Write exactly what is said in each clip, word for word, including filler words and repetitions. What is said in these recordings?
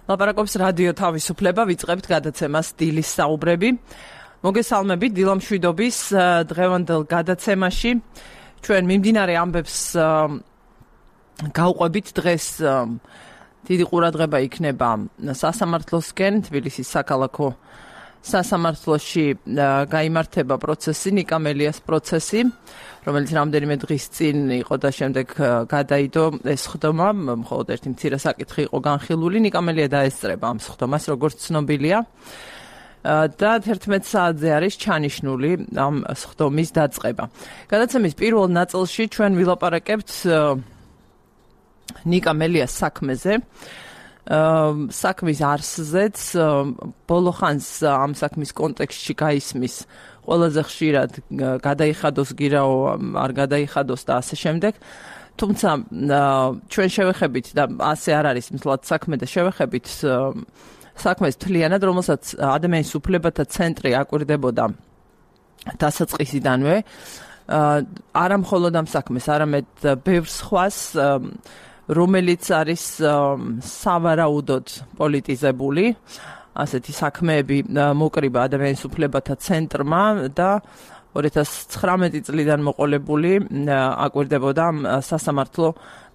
ლაპარაკობს რადიო თავისუფლება, ვიწყებთ გადაცემას დილის საუბრები. მოგესალმებით დილამშვიდობის დღევანდელ გადაცემაში. ჩვენ მიმდინარე ამბებს გავყვებით დღეს დიდი ყურადღება იქნება სასამართლოსკენ, თბილისის საქალაქო სასამართლოში გაიმართება პროცესი, ნიკა მელიას პროცესი, რომელიც რამდენიმე დღის წინ იყო და შემდეგ გადაიდო ეს ხდომა, მხოლოდ ერთი მცირე საკითხი იყო განხილული. ნიკა მელია დაესწრება ამ ხდომას, როგორც ცნობილია. და თერთმეტ საათზე არის ჩანიშნული ამ ხდომის დაწყება. გადაცემის პირველ ნაწილში ჩვენ ვილაპარაკებთ ნიკა მელიას საქმეზე. საქმის არსზეც ბოლო ხანს ამ საქმის კონტექსტში გაისმის ყველაზე ხშირად გადაიხადოს გირაო, არ გადაიხადოს და ასე შემდეგ. თუმცა ჩვენ შევეხებით და ასე არ არის მთლად საქმე და შევეხებით საქმეს თლიანად, რომელსაც ადამიანის უფლებათა ცენტრი აკვირდებოდა დასაწყისიდანვე. არა მხოლოდ ამ საქმეს, არამედ ბევრ სხვას, რომელიც არის სავარაუდოდ პოლიტიზებული, ასეთი საქმეები მოკრიბა ადამიანის უფლებათა ცენტრმა და ორი ათას ცხრამეტი წლიდან მოყოლებული აკვირდებოდა სასამართლო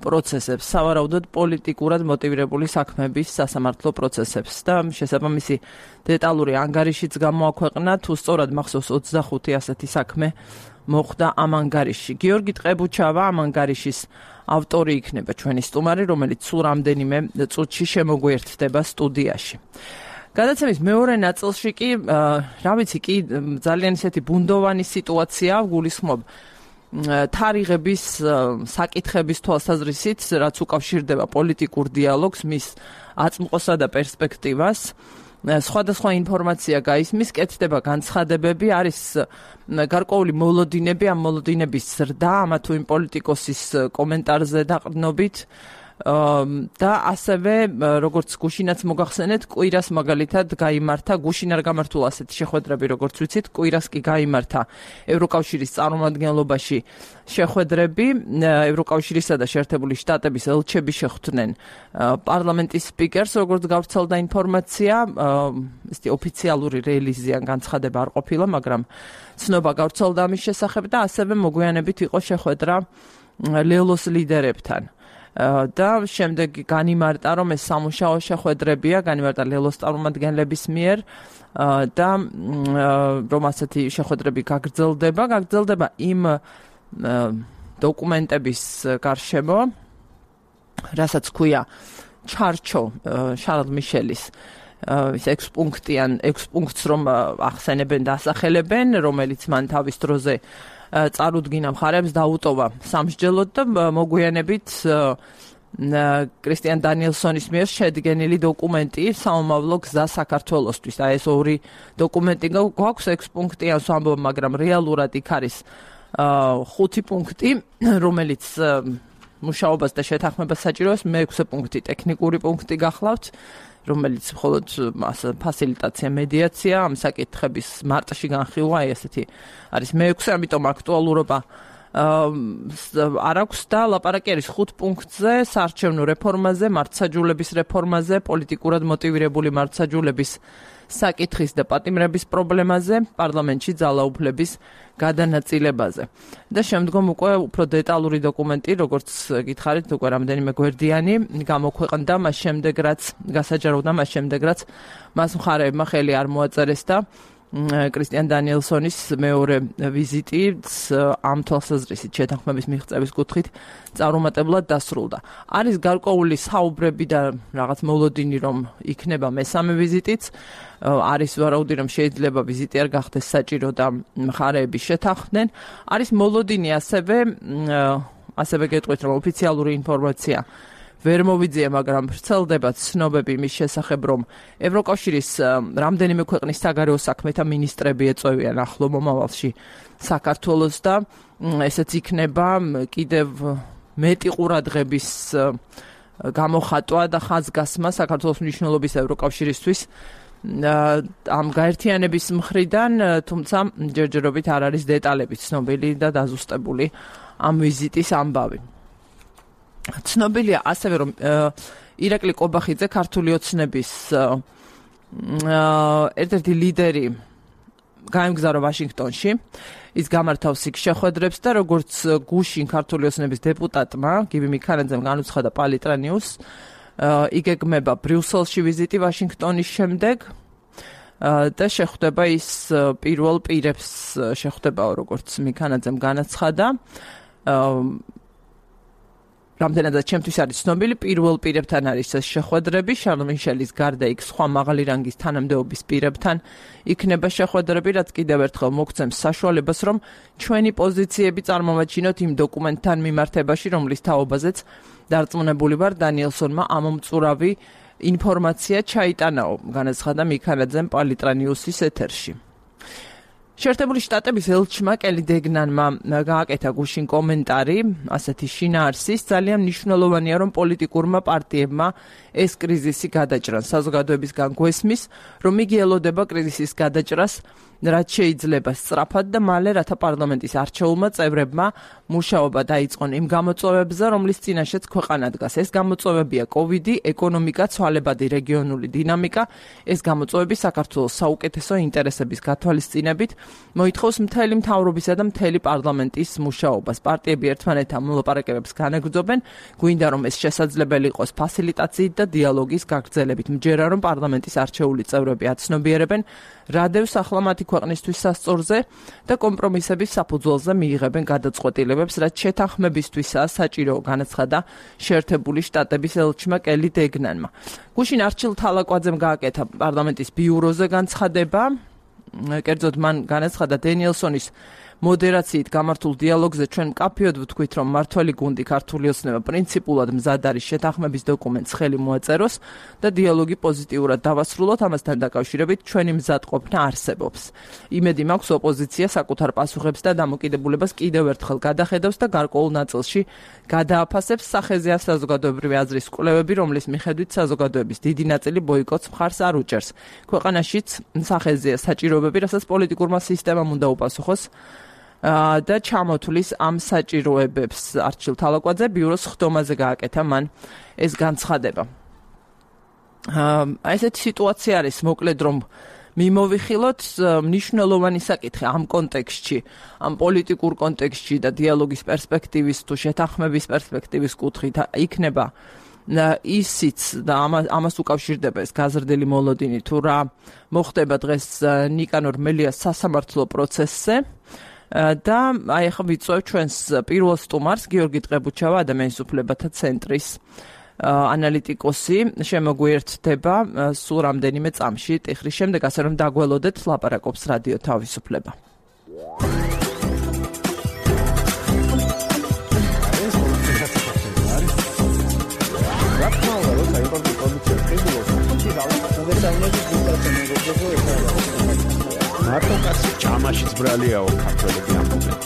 პროცესებს, სავარაუდოდ პოლიტიკურად მოტივირებული საქმეების სასამართლო პროცესებს და შესაბამისი დეტალური ანგარიშიც გამოაქვეყნა, თუ სწორად მახსოვს ოცდახუთი ასეთი საქმე მოხდა ამ ანგარიშში. გიორგი ტყებუჩავა ამ ანგარიშის ავტორი იქნება ჩვენი სტუმარი, რომელიც სულ რამდენიმე წუთში შემოგვიერთდება სტუდიაში. გადაცემის მეორე ნაწილში კი, რა ვიცი, კი ძალიან ისეთი ბუნდოვანი სიტუაცია გულისხმობ თარიღების საკითხების თვალსაზრისით, რაც უკავშირდება პოლიტიკურ დიალოგს, მის აწმყოსა და პერსპექტივას. სხვადასხვა ინფორმაცია გაისმის, კეთდება განცხადებები, არის გარკვეული მოლოდინები, ამ მოლოდინების ზრდა, ამა თუ იმ პოლიტიკოსის კომენტარზე დაყრდნობით და ასევე, როგორც გუშინაც მოგახსენეთ, კვირას მაგალითად გაიმართა, გუშინ არ გამართულა ასეთი შეხვედრები, როგორც ვიცით, კვირას კი გაიმართა ევროკავშირის წარმომადგენლობაში შეხვედრები, ევროკავშირისა და შეერთებული შტატების ელჩები შეხვდნენ პარლამენტის სპიკერს, როგორც გავრცელდა ინფორმაცია, ესეთი ოფიციალური რელიზი ან განცხადება არ ყოფილა, მაგრამ ცნობა გავრცელდა ამის შესახებ და ასევე მოგვიანებით იყო შეხვედრა ლელოს ლიდერებთან. და შემდეგ განიმარტა, რომ ეს სამუშაო შეხვედრებია, განიმარტა ლელოს წარმომადგენლების მიერ და რომ ასეთი შეხვედრები გაგრძელდება, გაგრძელდება იმ დოკუმენტების გარშემო, რასაც ქვია ჩარჩო შარლ მიშელის ის ექვს პუნქტიან, ექვს პუნქტს რომ ახსენებენ და ასახელებენ, რომელიც მან თავის დროზე წარუდგინა მხარებს დაუტოვა სამსჯელოდ და მოგვიანებით კრისტიან დანიელსონის მიერ შედგენილი დოკუმენტი საომავლო გზა საქართველოსთვის. აი ეს ორი დოკუმენტი გვაქვს ექვს პუნქტიანს ვამბობ, მაგრამ რეალურად იქ არის ხუთი პუნქტი, რომელიც მუშაობას და შეთანხმებას საჭიროებს, მეექვსე პუნქტი ტექნიკური პუნქტი გახლავთ, რომელიც მხოლოდ ფასილიტაცია, მედიაცია, ამ საკითხების მარტში განხილვა, აი ესეთი არის მეექვსე, ამიტომ აქტუალურობა არ აქვს და ლაპარაკი არის ხუთ პუნქტზე, საარჩევნო რეფორმაზე, მართლმსაჯულების რეფორმაზე, პოლიტიკურად მოტივირებული მართლმსაჯულების საკითხის და პატიმრების პრობლემაზე, პარლამენტში ძალაუფლების გადანაწილებაზე. და შემდგომ უკვე უფრო დეტალური დოკუმენტი, როგორც გითხარით, უკვე რამდენიმე გვერდიანი გამოქვეყნდა, მას შემდეგ რაც გასაჯაროვდა, მას შემდეგ რაც მას მხარეებმა ხელი არ მოაწერეს და კრისტიან დანიელსონის მეორე ვიზიტიც ამ თვალსაზრისით შეთანხმების მიღწევის კუთხით წარუმატებლად დასრულდა. არის გარკვეული საუბრები და რაღაც მოლოდინი, რომ იქნება მესამე ვიზიტიც, არის ვარაუდი, რომ შეიძლება ვიზიტი არ გახდეს საჭირო და მხარეები შეთანხმდნენ. არის მოლოდინი ასევე, ასევე გეტყვით, რომ ოფიციალური ინფორმაცია ვერ მოვიძია, მაგრამ ვრცელდება ცნობები მის შესახებ, რომ ევროკავშირის რამდენიმე ქვეყნის საგარეო საქმეთა მინისტრები ეწევიან ახლო მომავალში საქართველოს და ესეც იქნება კიდევ მეტი ყურადღების გამოხატვა და ხაზგასმა საქართველოს მნიშვნელობის ევროკავშირისთვის ამ გაერთიანების მხრიდან, თუმცა ჯერჯერობით არ არის დეტალები ცნობილი და დაზუსტებული ამ ვიზიტის ამბავი. ცნობილია ასევე, რომ ირაკლი კობახიძე ქართული ოცნების ერთ-ერთი ლიდერი გაემგზავრა ვაშინგტონში. ის გამართავს იქ შეხვედრებს და როგორც გუშინ ქართული ოცნების დეპუტატმა გივი მიქანაძემ განუცხადა პალიტრანიუს, იგეგმება ბრიუსელში ვიზიტი ვაშინგტონის შემდეგ და შეხვდება ის პირველ პირებს შეხვდებაო, როგორც მიქანაძემ განაცხადა. რამდენადაც ჩემთვის არის ცნობილი, პირველ პირებთან არის ეს შეხვედრები, შარლ მიშელის გარდა იქ სხვა მაღალი რანგის თანამდებობის პირებთან იქნება შეხვედრები, რაც კიდევ ერთხელ მოგცემს საშუალებას, რომ ჩვენი პოზიციები წარმოვაჩინოთ იმ დოკუმენტთან მიმართებაში, რომლის თაობაზეც დარწმუნებული ვარ, დანიელსონმა ამომწურავი ინფორმაცია ჩაიტანაო, განაცხადა მიქანაძემ პალიტრანიუსის ეთერში. შეერთებული შტატების ელჩმა კელი დეგნანმა გააკეთა გუშინ კომენტარი, ასეთი შინაარსის, ძალიან მნიშვნელოვანია, რომ პოლიტიკურმა პარტიებმა ეს კრიზისი გადაჭრან. საზოგადოებისგან გვესმის, რომ იგი ელოდება კრიზისის გადაჭრას, რაც შეიძლება სწრაფად და მალე, რათა პარლამენტის არჩეულმა წევრებმა მუშაობა დაიწყონ იმ გამოწვევებზე, რომლის წინაშეც ქვეყანა დგას. ეს გამოწვევებია კოვიდი, ეკონომიკა, ცვალებადი რეგიონული დინამიკა. ეს გამოწვევები საქართველოს საუკეთესო ინტერესების გათვალისწინებით მოითხოვს მთელი მთავრობისა და მთელი პარლამენტის მუშაობას. პარტიები ერთმანეთთან მოლაპარაკებებს განაგრძობენ, გვინდა რომ ეს შესაძლებელი იყოს ფასილიტაციით და დიალოგის გაგრძელებით. მჯერა რომ პარლამენტის არჩეული წევრები აცნობიერებენ, რა დევს ახლა მათი ქვეყნისთვის სასწორზე და კომპრომისების საფუძველზე მიიღებენ გადაწყვეტილებებს, რაც შეთანხმებისთვისაა საჭირო, განაცხადა შეერთებული შტატების ელჩმა კელი დეგნანმა. გუშინ არჩილ თალაკვაძემ გააკეთა პარლამენტის ბიუროზე განცხადება, კერძოდ მან განაცხადა დენიელსონის მოდერაციით გამართულ დიალოგზე ჩვენ მკაფიოდ ვთქვით, რომ მართველი გუნდი ქართული ოცნება პრინციპულად მზად არის შეთანხმების დოკუმენტს ხელი მოაწეროს და დიალოგი პოზიტიურად დავასრულოთ, ამასთან დაკავშირებით ჩვენი მზადყოფნა არსებობს. იმედი მაქვს, ოპოზიცია საკუთარ პასუხებს და დამოკიდებულებას კიდევ ერთხელ გადახედავს და გარკვეულ ნაწილში გადააფასებს. სახეზეა საზოგადოებრივი აზრის კვლევები, რომლის მიხედვით საზოგადოების დიდი ნაწილი ბოიკოტს მხარს არ უჭერს. ქვეყანაშიც სახეზეა საჭიროებები, რასაც პოლიტიკურმა სისტემამ უნდა უპასუხოს და ჩამოთვლის ამ საჭიროებებს. არჩილ თალაკვაძე ბიუროს ხდომაზე გააკეთა მან ეს განცხადება. აი ესეთი სიტუაცია არის, მოკლედ რომ მიმოვიხილოთ, მნიშვნელოვანი საკითხი ამ კონტექსტში, ამ პოლიტიკურ კონტექსტში და დიალოგის პერსპექტივის თუ შეთანხმების პერსპექტივის კუთხით იქნება ისიც და ამას უკავშირდება ეს გაზრდილი მოლოდინი, თუ რა მოხდება დღეს ნიკანორ მელიას სასამართლო პროცესზე. და აი ახლა ვიწვევ ჩვენს პირველ სტუმარს, გიორგი ტყებუჩავა, ადამიანის უფლებათა ცენტრის ანალიტიკოსი, შემოგვიერთდება სულ რამდენიმე წამში ტიხრის შემდეგ, ასე რომ დაგველოდეთ, ლაპარაკობს რადიო თავისუფლება. მარტო კაცი ჭამაშიც ბრალიაო ქართველები ამბობენ.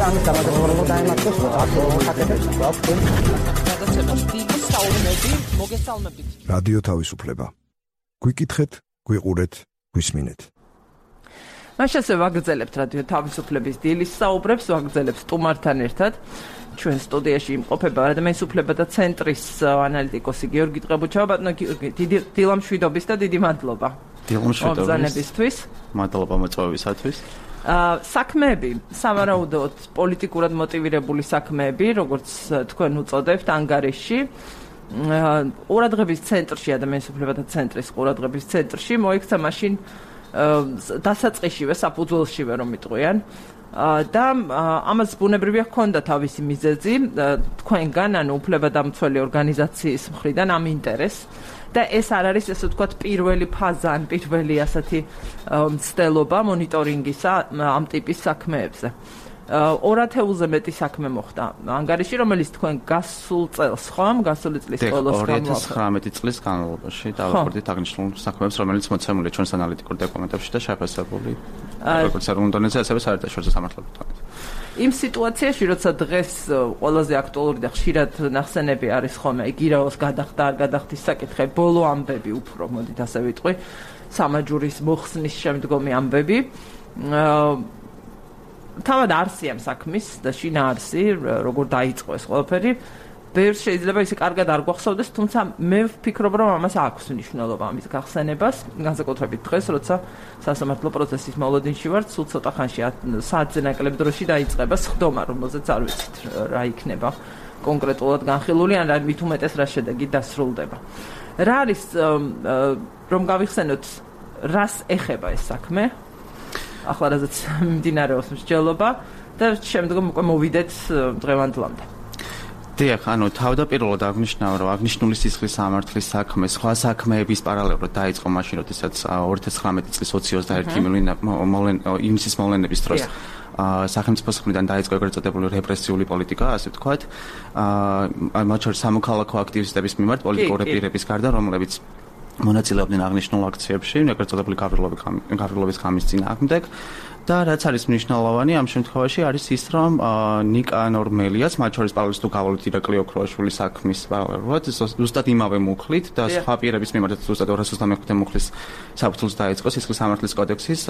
ამის დამადროულობა დაემართოს აკეთებს გადაცემას დიდი საუბნები მოგესალმებით. რადიო თავისუფლება. გვიკითხეთ, გვიყურეთ, გვისმინეთ. მაშასე ვაგრძელებთ რადიო თავისუფლების დილის საუბრებს, ვაგრძელებთ სტუმართან ერთად. ჩვენ სტუდიაში იმყოფება ადამიანის უფლებათა ცენტრის ანალიტიკოსი გიორგი ტყებუჩავა. ბატონო გიორგი, დიდი დილამშვიდობის და დიდი მადლობა. დილამშვიდობის. მადლობა მოწვევისათვის. საქმეები, სავარაუდოდ პოლიტიკურად მოტივირებული საქმეები, როგორც თქვენ უწოდებთ ანგარიში, ყურადღების ცენტრში, ადამიანის უფლებათა ცენტრის ყურადღების ცენტრში მოექცა მაშინ დასაწყისშივე, საფუძველშივე რომ იტყვიან. და ამას ბუნებრივია ჰქონდა თავისი მიზეზი თქვენგან, ანუ უფლებადამცველი ორგანიზაციის მხრიდან ამ ინტერესს. და ეს არ არის, ესე ვთქვათ, პირველი ფაზა, ან პირველი ასეთი მცდელობა მონიტორინგისა ამ ტიპის საქმეებზე. ორ ათეულზე მეტი საქმე მოხდა ანგარიში, რომელიც თქვენ გასულ წელს, ხო, გასული წლის ბოლოს ორი ათას ცხრამეტი წლის განმავლობაში დავაკვირდით აღნიშნულ საქმეებს, რომელიც მოცემულია ჩვენს ანალიტიკურ დოკუმენტებში და შეფასებული როგორც ეროვნულ დონეზე, ასევე საერთაშორისო სამართლებრივ. იმ სიტუაციაში, როცა დღეს ყველაზე აქტუალური და ხშირად ნახსენები არის ხოლმე, იგირაოს გადახდა, არ გადახდის საკითხი, ბოლო ამბები უფრო, მოდით ასე ვიტყვი, სამაჯურის მოხსნის შემდგომი ამბები. თავად არსი ამ საქმის და შინაარსი, როგორ დაიწყო ეს ყველაფერი ბევრს შეიძლება ისე კარგად არ გვახსოვდეს, თუმცა მე ვფიქრობ, რომ ამას აქვს მნიშვნელობა ამის გახსენებას, განსაკუთრებით დღეს, როცა სასამართლო პროცესის მოლოდინში ვართ, სულ ცოტა ხანში საათზე ნაკლებ დროში დაიწყება სხდომა, რომელზეც არ ვიცით რა იქნება კონკრეტულად განხილული, ან რა მით უმეტეს რა შედეგი დასრულდება. რა არის რომ გავიხსენოთ, რას ეხება ეს საქმე? ახლა რაზეც მიმდინარეობს მსჯელობა და შემდგომ უკვე მოვიდეთ დღევანდლამდე. დიახ, ანუ თავდაპირველად აღნიშნავ, რომ აღნიშნული სისხლის სამართლის საქმე სხვა საქმეების პარალელურად დაიწყო მაშინ, როდესაც ორი ათას ცხრამეტი წლის ოცდაერთი ივნისის მოვლენების დროს სახელმწიფოს მხრიდან დაიწყო ეგრეთ წოდებული რეპრესიული პოლიტიკა, ასე ვთქვათ, მათ შორის სამოქალაქო აქტივისტების მიმართ პოლიტიკური პირების გარდა, რომლებიც მონაწილეობდნენ აღნიშნულ აქციებში, ეგრეთ წოდებული გავრილობის ღამის წინააღმდეგ. და რაც არის მნიშვნელოვანი ამ შემთხვევაში არის ის, რომ ნიკანორ მელიას, მათ შორის პავლეს თუ გავალით ირაკლი ოქროაშვილის საქმის პარალელურად, ზუსტად იმავე მუხლით და სხვა პირების მიმართ ზუსტად ორას ოცდამეხუთე მუხლის საფუძველს დაიწყო სისხლის სამართლის კოდექსის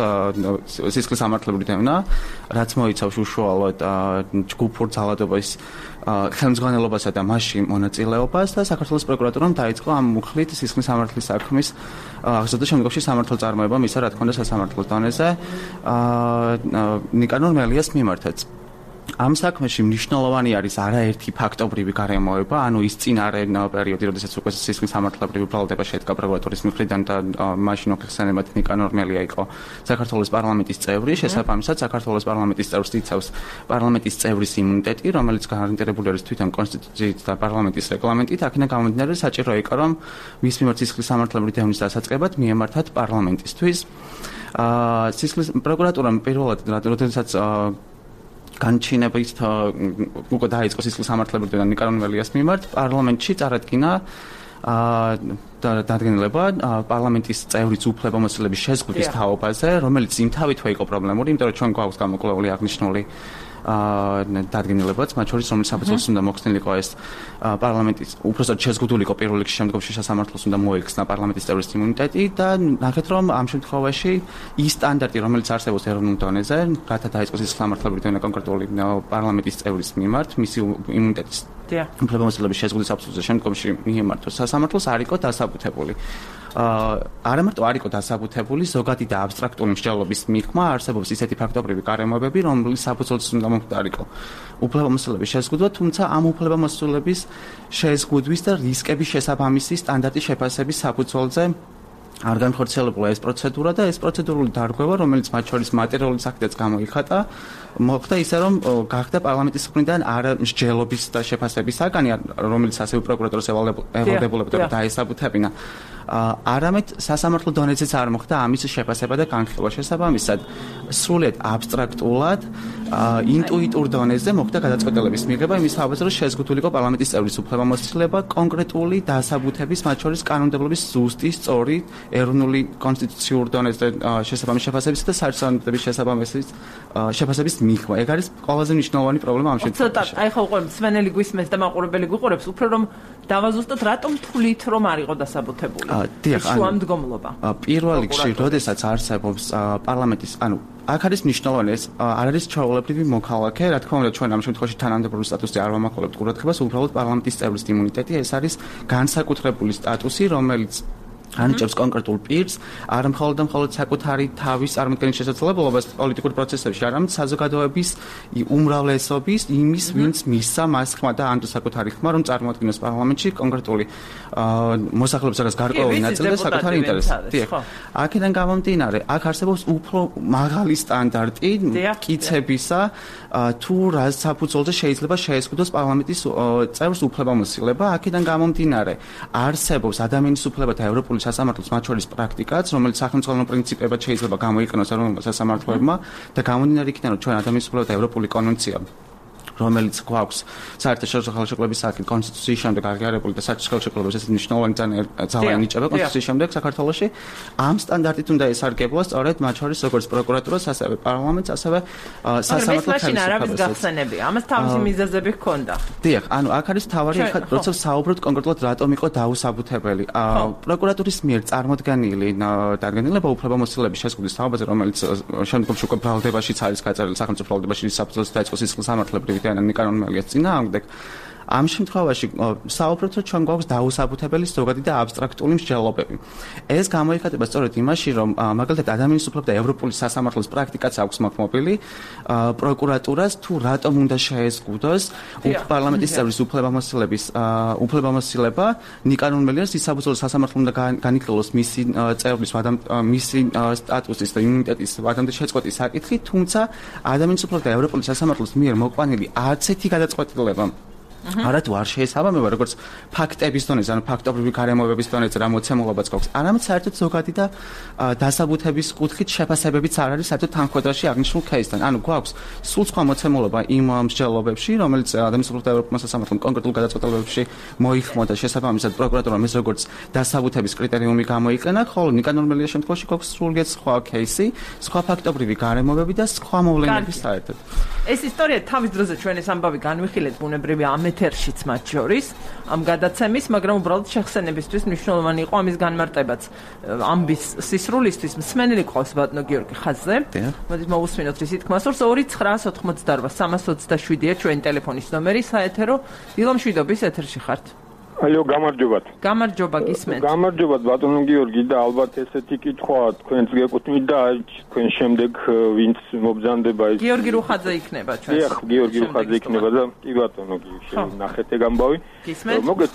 სისხლის სამართლებრივი დევნა, რაც მოიცავს უშუალოდ ჯგუფურ ძალადობის ხელმძღვანელობასა და მასში მონაწილეობას და საქართველოს პროკურატურამ დაიწყო ამ მუხლით სისხლის სამართლის საქმის აღზრდა და შემდგომში სამართალ წარმოება მისა რა თქმა უნდა სასამართლოს დონეზე ნიკანორ მელიას მიმართაც. ამ საქმეში მნიშვნელოვანი არის არაერთი ფაქტობრივი გარემოება, ანუ ის წინარე პერიოდი, როდესაც უკვე სისხლის სამართლებრივი ბრალდება შედგა პროკურატურის მხრიდან და მაშინ მოხსენებათ ნიკანორ მელია იყო საქართველოს პარლამენტის წევრი, შესაბამისად საქართველოს პარლამენტის წევრს იცავს პარლამენტის წევრის იმუნიტეტი, რომელიც გარანტირებული არის თვითონ კონსტიტუციით და პარლამენტის რეგლამენტით, აქედან გამომდინარე საჭირო იყო, რომ მის მიმართ სისხლის სამართლებრივი დევნის დასაწყებად მიემართათ პარლამენტისთვის. სისხლის პროკურატურამ პირველად როდესაც განჩინებით უკვე დაიწყო სისხლის სამართლებრივი დევნა ნიკანორ მელიას მიმართ, პარლამენტში წარადგინა დადგენილება პარლამენტის წევრის უფლებამოსილების შეზღუდვის თაობაზე, რომელიც იმთავითვე იყო პრობლემური, იმიტომ რომ ჩვენ გვაქვს გამოკვლეული აღნიშნული დადგენილებაც, მათ შორის რომელიც საფუძველს უნდა მოხსნილიყო ეს პარლამენტის უпростоოდ შეზღუდულიყო პირველ რიგში შემდგომში სასამართლოს უნდა მოეხსნა პარლამენტის წევრის იმუნიტეტი და ნახეთ რომ ამ შემთხვევაში ის სტანდარტი რომელიც არსებობს ეროვნულ დონეზე, რათა დაიწყოს ის სამართლებრივი დევნა კონკრეტული პარლამენტის წევრის მიმართ, მისი იმუნიტეტის უფლებამოსილების შეზღუდვის საფუძველზე შემდგომში მიემართოს სასამართლოს არ იყო დასაბუთებული. არა მარტო არ იყო დასაბუთებული, ზოგადი და აბსტრაქტული მსჯელობის მიღმა არსებობს ისეთი ფაქტობრივი გარემოებები, რომლის საფუძველზეც უნდა მომხდარიყო უფლებამოსილების შეზღუდვა, თუმცა ამ უფლებამოსილების შეზღუდვის და რისკების შესაბამისი სტანდარტის შეფასების საფუძველზე არ განხორციელებულა ეს პროცედურა და ეს პროცედურული დარღვევა, რომელიც მათ შორის მატერიალური საფრთხეც გამოიხატა, მოხდა ისე, რომ გახდა პარლამენტის მხრიდან არ მსჯელობის და შეფასების საგანი, რომელიც ასევე პროკურატურის ევალდებულებოდა დაესაბუთებინა. არამედ სასამართლო დონეზეც არ მოხდა ამის შეფასება და განხილვა. შესაბამისად, სრულიად აბსტრაქტულად, ინტუიტურ დონეზე მოხდა გადაწყვეტილების მიღება იმის თაობაზე, რომ შეზღუდულიყო პარლამენტის წევრის უფლებამოსილება კონკრეტული დასაბუთების, მათ შორის კანონმდებლობის ზუსტი, სწორი, ეროვნული კონსტიტუციურ დონეზე შესაბამის შეფასების და საერთაშორისო შესაბამისის შეფასების მიღმა. ეგ არის ყველაზე მნიშვნელოვანი პრობლემა ამ შემთხვევაში. ცოტა, აი ხო უკვე მსმენელი გვისმენს და მაყურებელი გვიყურებს, უფრო რომ დავაზუსტოთ, რატომ თვლით რომ არ იყო დასაბუთებული? დიახ, შუამდგომლობა. პირველ რიგში, როდესაც არსებობს პარლამენტის, ანუ აქ არის მნიშვნელოვანი ეს არ არის ჩვეულებრივი მოქალაქე, რა თქმა უნდა ჩვენ ამ შემთხვევაში თანამდებობრივი სტატუსი არ ვამახვილებთ ყურადღებას, უბრალოდ პარლამენტის წევრის იმუნიტეტი, ეს არის განსაკუთრებული სტატუსი, რომელიც ანიჭებს კონკრეტულ პირს, არა მხოლოდ და მხოლოდ საკუთარი თავის წარმოქმნის შესაძლებლობას პოლიტიკურ პროცესებში, არამედ საზოგადოების უმრავლესობის იმის, ვინც მისცა მას ხმა და ან საკუთარი ხმა, რომ წარმოადგენს პარლამენტში კონკრეტული მოსახლეობის რაღაც გარკვეული ნაწილი და საკუთარი ინტერესი. დიახ. აქედან გამომდინარე, აქ არსებობს უფრო მაღალი სტანდარტი მტკიცებისა, თუ რა საფუძველზე შეიძლება შეეზღუდოს პარლამენტის წევრს უფლებამოსილება. აქედან გამომდინარე, არსებობს ადამიანის უფლებათა ევროპული სასამართლოს მათ შორის პრაქტიკაც, რომელიც სახელმწიფო პრინციპებად შეიძლება გამოიყენოს ეროვნულ სასამართლოებმა და გამომდინარე იქიდან, რომ ჩვენ ადამიანის უფლებათა ევროპული კონვენცია რომელიც გვაქვს საერთაშორისო ხელშეკრულების საკითხი კონსტიტუციის შემდეგ აღიარებული და საერთაშორისო ხელშეკრულების ეს მნიშვნელოვანი ძალა ენიჭება კონსტიტუციის შემდეგ საქართველოში ამ სტანდარტით უნდა ესარგებლა სწორედ მათ შორის როგორც პროკურატურას, ასევე პარლამენტს, ასევე სასამართლო ხელისუფლებას. გახსენებია, ამას თავისი მიზეზები ჰქონდა. დიახ, ანუ აქ არის თავარი, როცა საუბრობთ კონკრეტულად რატომ იყო დაუსაბუთებელი. პროკურატურის მიერ წარმოდგენილი დადგენილება უფლებამოსილების შეზღუდვის თაობაზე, რომელიც შემდგომში უკვე ბრალდებაშიც არის გაწერილი სახელმწიფო ბრალდებაში საფუძველზე დაიწყო სისხლის სამართლებრივი ნიკანორ მელიას წინააღმდეგ. ამ შემთხვევაში საუბრობთ, რომ ჩვენ გვაქვს დაუსაბუთებელი ზოგადი და აბსტრაქტული მსჯელობები. ეს გამოიხატება სწორედ იმაში, რომ მაგალითად ადამიანის უფლებათა ევროპული სასამართლოს პრაქტიკაც აქვს მოქმობილი, პროკურატურას თუ რატომ უნდა შეეზღუდოს პარლამენტის წევრის უფლებამოსილების უფლებამოსილება ნიკანორ მელიას ის საბრძოლო სასამართლო უნდა განიხილოს მისი წევრის მისი სტატუსის და იმუნიტეტის ვადამდე შეწყვეტის საკითხი, თუმცა ადამიანის უფლებათა ევროპული სასამართლოს მიერ მოყვანილი არც ერთი გადაწყვეტილება არათუ არ შეესაბამება როგორც ფაქტების დონეზე, ანუ ფაქტობრივი გარემოებების დონეზე რა მოცემულობაც გვაქვს, არამედ საერთოდ ზოგადი და დასაბუთების კუთხით შეფასებებიც არ არის საერთოდ თანხმდაში აღნიშნულ кейსთან. ანუ გვაქვს სულ სხვა მოცემულობა იმ მსჯელობებში, რომელიც ადამიანის უფლებათა ევროპულ სასამართლომ კონკრეტულ გადაწყვეტილებებში მოიხმო და შესაბამისად პროკურატურამ ეს როგორც დასაბუთების კრიტერიუმი გამოიყენა, ხოლო ნიკანორ მელიას შემთხვევაში გვაქვს სრულიად სხვა кейსი, სხვა ფაქტობრივი გარემოებები და სხვა მოვლენები საერთოდ. ეს ისტორია თავის დროზე ჩვენ ეს ამბავი განვიხილეთ ბუნებრივია ამ ეთერშიც მათ შორის ამ გადაცემის, მაგრამ უბრალოდ შეხსენებისთვის მნიშვნელოვანი იყო ამის განმარტებაც. ამბის სისრულისთვის მსმენელი ყავს ბატონო გიორგი ხაზზე. მოდით მოვუსმინოთ რის თქმას, რომ ორი ცხრა ოთხმოცდაოთხ სამას ოცდაშვიდია ჩვენი ტელეფონის ნომერი საეთერო. დილომშვიდობის ეთერში ხართ. ალო, გამარჯობათ. გამარჯობა, გისმენთ. გამარჯობათ ბატონო გიორგი და ალბათ ესეთი კითხვა თქვენს გეკუთვნით და თქვენ შემდეგ ვინც მობრძანდება ეს გიორგი რუხაძე იქნება ჩვენს. დიახ, გიორგი რუხაძე იქნება და კი ბატონო გიორგი ნახეთ ეგ ამბავი. მოგეთ,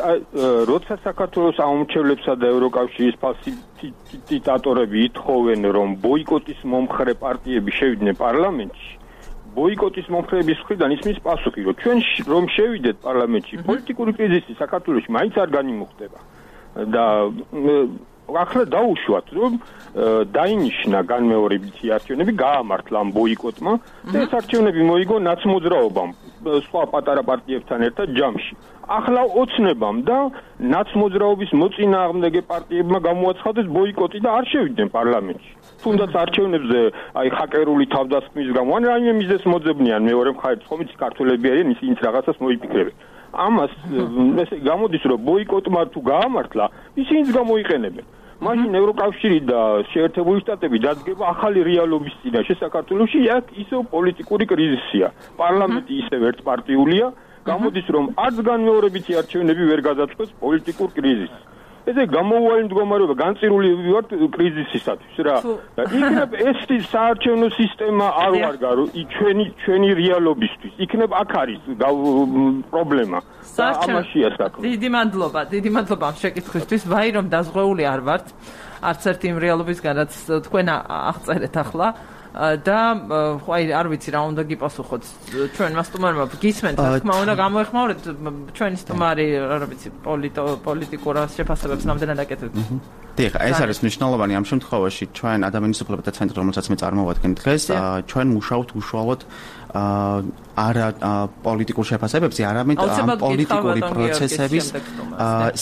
როცა საქართველოს აუმჩევლებსა და ევროკავშირის ფასილიტატორები ითხოვენ რომ ბოიკოტის მომხრე პარტიები შევიდნენ პარლამენტში, ბოიკოტის მომხრეების მხრიდან ისმის პასუხი, რომ ჩვენ რომ შევიდეთ პარლამენტში, პოლიტიკური კრიზისი საქართველოში მაინც არ განიმუხტება. და ახლა დაუშვათ, რომ დაინიშნა განმეორებითი არჩევნები, გაამართლა ამ ბოიკოტმა და ეს არჩევნები მოიგო ნაცმოძრაობამ სხვა პატარა პარტიებთან ერთად ჯამში. ახლა ოცნებამ და ნაცმოძრაობის მოწინააღმდეგე პარტიებმა გამოაცხადეს ბოიკოტი და არ შევიდნენ პარლამენტში. თუნდაც არჩევნებზე აი ჰაკერული თავდასხმის გამო ან რაიმე მიზეზს მოძებნიან მეორე მხარეს, ხომ იცი ქართველები არიან, ისინიც რაღაცას მოიფიქრებენ. ამას ესე გამოდის, რომ ბოიკოტმა თუ გაამართლა, ისინიც გამოიყენებენ. მაშინ ევროკავშირი და შეერთებული შტატები დადგება ახალი რეალობის წინაშე საქართველოში, აქ ისევ პოლიტიკური კრიზისია. პარლამენტი ისევ ერთპარტიულია, გამოდის, რომ არც განმეორებითი არჩევნები ვერ გადაწყვეტს პოლიტიკურ კრიზისს. ესე გამოუვალი მდგომარეობა განწირული ვართ კრიზისისათვის რა. იქნებ ეს საარჩევნო სისტემა არ ვარგა ჩვენი ჩვენი რეალობისთვის. იქნებ აქ არის პრობლემა. ამაშია საქმე. დიდი მადლობა, დიდი მადლობა ამ შეკითხვისთვის. ვაი რომ დაზღვეული არ ვართ. არც ერთი იმ რეალობისგან, რაც თქვენ აღწერეთ ახლა. და აი არ ვიცი რა უნდა გიპასუხოთ ჩვენმა სტუმარმა გისმენთ რა თქმა უნდა გამოეხმაურეთ ჩვენი სტუმარი რა ვიცი პოლიტიკურ შეფასებებს ნამდვილად აკეთებთ. დიახ, ეს არის მნიშვნელოვანი ამ შემთხვევაში ჩვენ ადამიანის უფლებათა ცენტრი, რომელსაც მე წარმოვადგენ დღეს, ჩვენ მუშაობთ უშუალოდ არა პოლიტიკურ შეფასებებზე, არამედ ამ პოლიტიკური პროცესების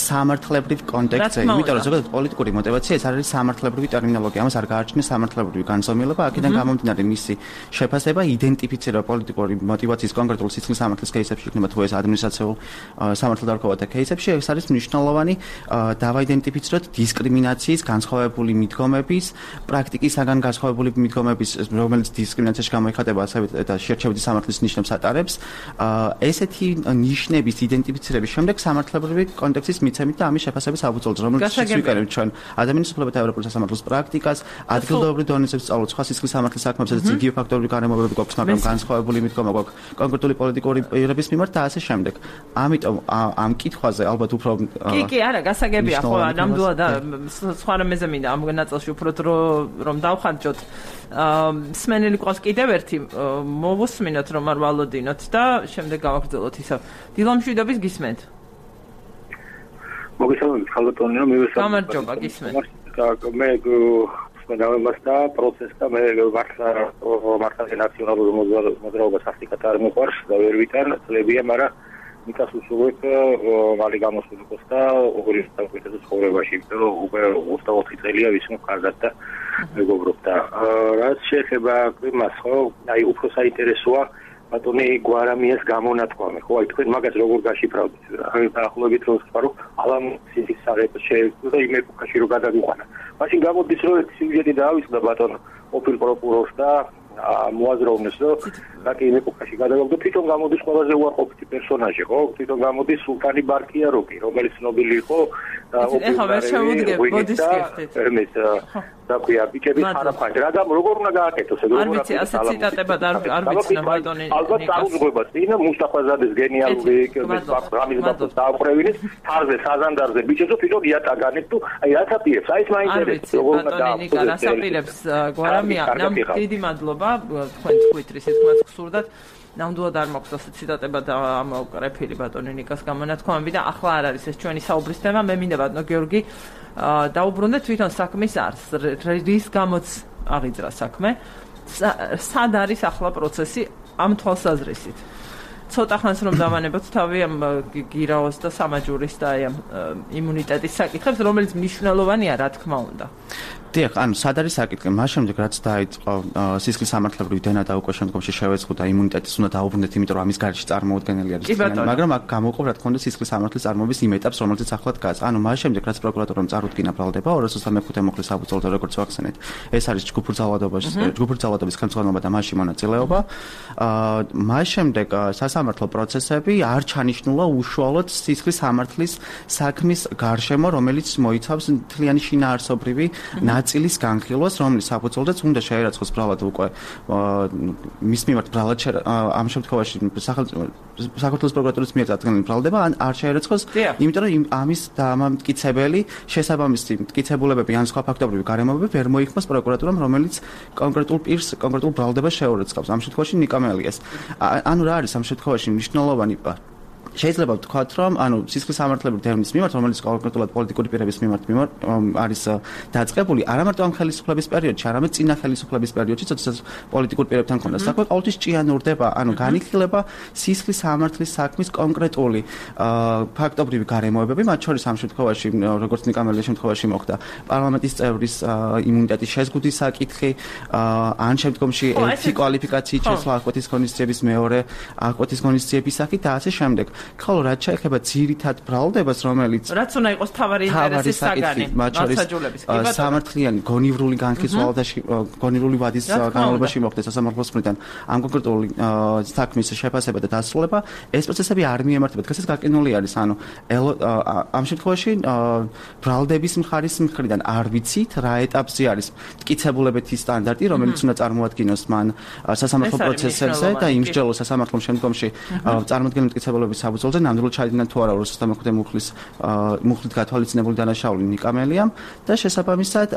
სამართლებრივ კონტექსტზე. იმიტომ რომ ზოგადად პოლიტიკური мотиваცია ეს არის სამართლებრივი ტერმინოლოგია, ამას არ გააჩნია სამართლებრივი განსაზღვრება, აქედან გამომდინარე მისი შეფასება, იდენტიფიცირება პოლიტიკური мотиваციის კონკრეტულ სისხლის სამართლის кейსებში, იქნება თუ ეს ადმინისტრაციულ სამართალდამხმარებათა кейსებში, ეს არის მნიშვნელოვანი დავაიდენტიფიციროთ დისკრიმინაციის, განსხვავებული მიდგომების, პრაქტიკისაგან განსხვავებული მიდგომების, რომელიც დისკრიმინაციაში გამოიხატება, ასევე და შერჩევითი სამართლის ნიშნებს ატარებს. ესეთი ნიშნების იდენტიფიცირების შემდეგ სამართლებრივი კონტექსტის მიცემით და ამის შეფასების აბუწოლს, რომელიც ვიკარებთ ჩვენ ადამიანის უფლებათა ევროპული სასამართლოს პრაქტიკას, ადგილობრივ დონეზე ვსწავლოთ სხვა სისხლის სამართლის საქმეებს, სადაც იგივე ფაქტორული გარემოებები გვაქვს, მაგრამ განსხვავებული მიდგომა გვაქვს კონკრეტული პოლიტიკური პირების მიმართ და ასე შემდეგ. ამიტომ ამ კითხვაზე ალბათ უფრო კი, კი, არა, გასაგებია, ხო, ნამდვილად სხვა რამეზე მინდა ამ ნაწილში უფრო რომ დავხარჯოთ. მსმენელი ყავს კიდევ ერთი მოვუსმინოთ რომ არ ვალოდინოთ და შემდეგ გავაგრძელოთ ისა. დილომშვიდობის გისმენთ. მოგესალმებით, ხალხო, მივესალმებით. გამარჯობა, გისმენთ. მე მენავებას და პროცესს და მე მართლა მართლა ნაციონალურ მოძრაობას ახტიკად არ მიყვარს და ვერ ვიტან წლებია, მაგრამ მიკას უსურვებ მალე გამოსულიყოს და ორი საუკეთესო ცხოვრებაში, იმიტომ რომ უკვე ოცდაოთხი წელია ვისმო კარგად და მეგობრობ და რაც შეეხება იმას, ხო, აი უფრო საინტერესოა ბატონი გვარამიას გამონათქვამი, ხო, აი თქვენ მაგას როგორ გაშიფრავთ? აი დაახლოებით რომ ვთქვა, რომ ალამსის საღებო შეეძლო და იმ ეპოქაში რომ გადაგიყვანა. მაშინ გამოდის რომ ეს სიუჟეტი დაავიწყდა ბატონ ყოფილ პროკურორს და მოაზროვნეს, რომ რაკი იმ ეპოქაში გადაგავდა, თვითონ გამოდის ყველაზე უარყოფითი პერსონაჟი, ხო? თვითონ გამოდის სულთანი ბარქიაროკი, რომელიც ცნობილი იყო და ეხლა ვერ შემოდგებ, მოდის გიხდით. ემეს და ქვია ბიჭების ხარაფხანს. რა გამ როგორ უნდა გააკეთოს ეგ როგორ არის ასეთ ციტატებად არ არ ვიცნა ბატონი ნიკას. ალბათ დაუძღვება წინა მუსტაფაზადეს გენიალური რამის ბატონს დააყრევინეთ, თარზე საზანდარზე ბიჭებს თვითონ იატაგანეთ თუ აი რაც აპირებს, აი ეს მაინტერესებს როგორ უნდა ბატონი ნიკა რას აპირებს გვარამია, ნამ დიდი მადლობა თქვენ ტვიტრის ეთქმაც გსურდათ. ნამდვილად არ მაქვს ასეთ ციტატებად ამოკრეფილი ბატონი ნიკას გამონათქვამები და ახლა არ არის ეს ჩვენი საუბრის თემა. მე მინდა ბატონო გიორგი დაუბრუნდეთ თვითონ საქმის არს, რის გამოც აღიძრა საქმე, სად არის ახლა პროცესი ამ თვალსაზრისით. ცოტა ხანს რომ დავანებოთ თავი ამ გირაოს და სამაჯურის და აი ამ იმუნიტეტის საკითხებს, რომელიც მნიშვნელოვანია, რა თქმა უნდა. დიახ, ანუ სად არის საკითხი? მას შემდეგ რაც დაიწყო სისხლის სამართლებრივი დენა და უკვე შემდგომში შევეწყო და იმუნიტეტის უნდა დაუბრუნდეთ, იმიტომ რომ ამის გარეშე წარმოუდგენელი არის. მაგრამ აქ გამოვყო რა თქმა უნდა სისხლის სამართლის წარმოების იმ ეტაპს, რომელზეც ახლა დგას. ანუ მას შემდეგ რაც პროკურატურამ წარუდგინა ბრალდება ორ ოცდაათი მეხუთე მოხლის საბუთალოდ როგორც ვახსენეთ, ეს არის ჯგუფურ ძალადობაში, ჯგუფურ ძალადობის ხელმძღვანელობა და მასში მონაწილეობა. აა მას შემდეგ სასამართლო პროცესები არ ჩანიშნულა უშუალოდ სისხლის სამართლის საქმის გარშემო, რომელიც მოიცავს მთლიანი შინაარსობრივი ნაწილის განხილვას, რომლის საფუძველზეც უნდა შეერაცხოს ბრალად უკვე მის მიმართ ბრალად ამ შემთხვევაში საქართველოს პროკურატურის მიერ წარდგენილი ბრალდება ან არ შეერაცხოს, იმიტომ რომ ამის დამამტკიცებელი შესაბამისი მტკიცებულებები ან სხვა ფაქტობრივი გარემოებები ვერ მოიხმოს პროკურატურამ, რომელიც კონკრეტულ პირს კონკრეტულ ბრალდებას შეურაცხავს. ამ შემთხვევაში ნიკამელიას. ანუ რა არის ამ შემთხვევაში მნიშვნელოვანი შეიძლება ვთქვათ, რომ ანუ სისხლის სამართლებრივი დევნის მიმართ, რომელიც კონკრეტულად პოლიტიკური პირების მიმართ მიმართ არის დაწყებული, არა მარტო ამ ხელისუფლების პერიოდში, არამედ წინა ხელისუფლების პერიოდში, როდესაც პოლიტიკურ პირებთან ჰქონდა საქმე, ყოველთვის ჭიანურდება, ანუ განიხილება სისხლის სამართლის საქმის კონკრეტული ფაქტობრივი გარემოებები, მათ შორის ამ შემთხვევაში, როგორც ნიკამელის შემთხვევაში მოხდა, პარლამენტის წევრის იმუნიტეტის შეზღუდვის საკითხი, ან შემდგომში ერთი კვალიფიკაციით შესვლა აღკვეთის ღონისძიების მეორე აღკვეთის ღონისძიების საკითხი და ასე შემდეგ. ხოლო რაც შეეხება ძირითად ბრალდებას, რომელიც რაც უნდა იყოს თავარი ინტერესის საგანი, მასაჯულების კი სამართლიანი გონივრული განხილვა და გონივრული ვადის განმავლობაში მოხდეს სასამართლოს მხრიდან ამ კონკრეტული საქმის შეფასება და დასრულება, ეს პროცესები არ მიემართება. დღესაც გაკინული არის, ანუ ამ შემთხვევაში ბრალდების მხარის მხრიდან არ ვიცით რა ეტაპზე არის მტკიცებულებითი სტანდარტი, რომელიც უნდა წარმოადგინოს მან სასამართლო პროცესებზე და იმსჯელოს სასამართლომ შემდგომში წარმოადგენლ მტკიცებულების საბრძოლზე ნამდვილად ჩაიდინა თუ არა ორ ოცდაათი მეხუთე მუხლის მუხლით გათვალისწინებული დანაშაული ნიკამელიამ და შესაბამისად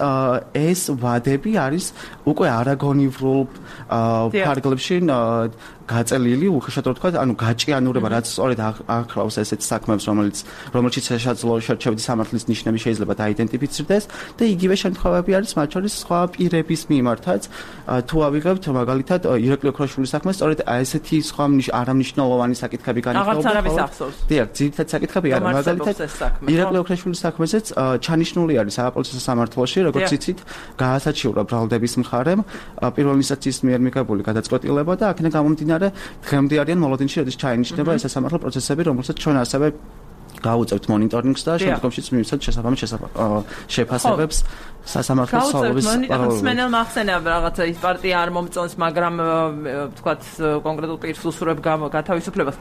ეს ვადები არის უკვე არაგონივრულ ფარგლებში გაწელილი, უხეშად რო ვთქვა, ანუ გაჭიანურება, რაც სწორედ ახლავს ესეთ საქმეებს, რომელიც რომელშიც შეშაძლო შერჩევითი სამართლის ნიშნები შეიძლება დაიდენტიფიცირდეს და იგივე შემთხვევები არის მათ შორის სხვა პირების მიმართაც. თუ ავიღებთ მაგალითად ირაკლი ოქროშვილის საქმე, სწორედ ესეთი სხვა არამნიშვნელოვანი საკითხები განიხილება. აღარც არის ახსოვს. დიახ, ძირითადად საკითხები არა, მაგალითად ირაკლი ოქროშვილის საქმეზეც ჩანიშნული არის საპროცესო სამართლოში, როგორც იცით, გაასაჩივრა ბრალდების მხარემ პირველ ინსტანციის მიერ მიღებული გადაწყვეტილება და აქედან გამომდინარე დღემდე არიან მოლოდინში, როდის ჩაინიშნება ეს სასამართლო პროცესები, რომელსაც ჩვენ ასევე გავუწევთ მონიტორინგს და შემდგომშიც მივიცეთ შესაბამის შეფასებებს სასამართლოს სალობის პარალელურად. მენელ მახსენია რაღაცა ის პარტია არ მომწონს, მაგრამ ვთქვათ კონკრეტულ პირს უსურებ გათავისუფლებას.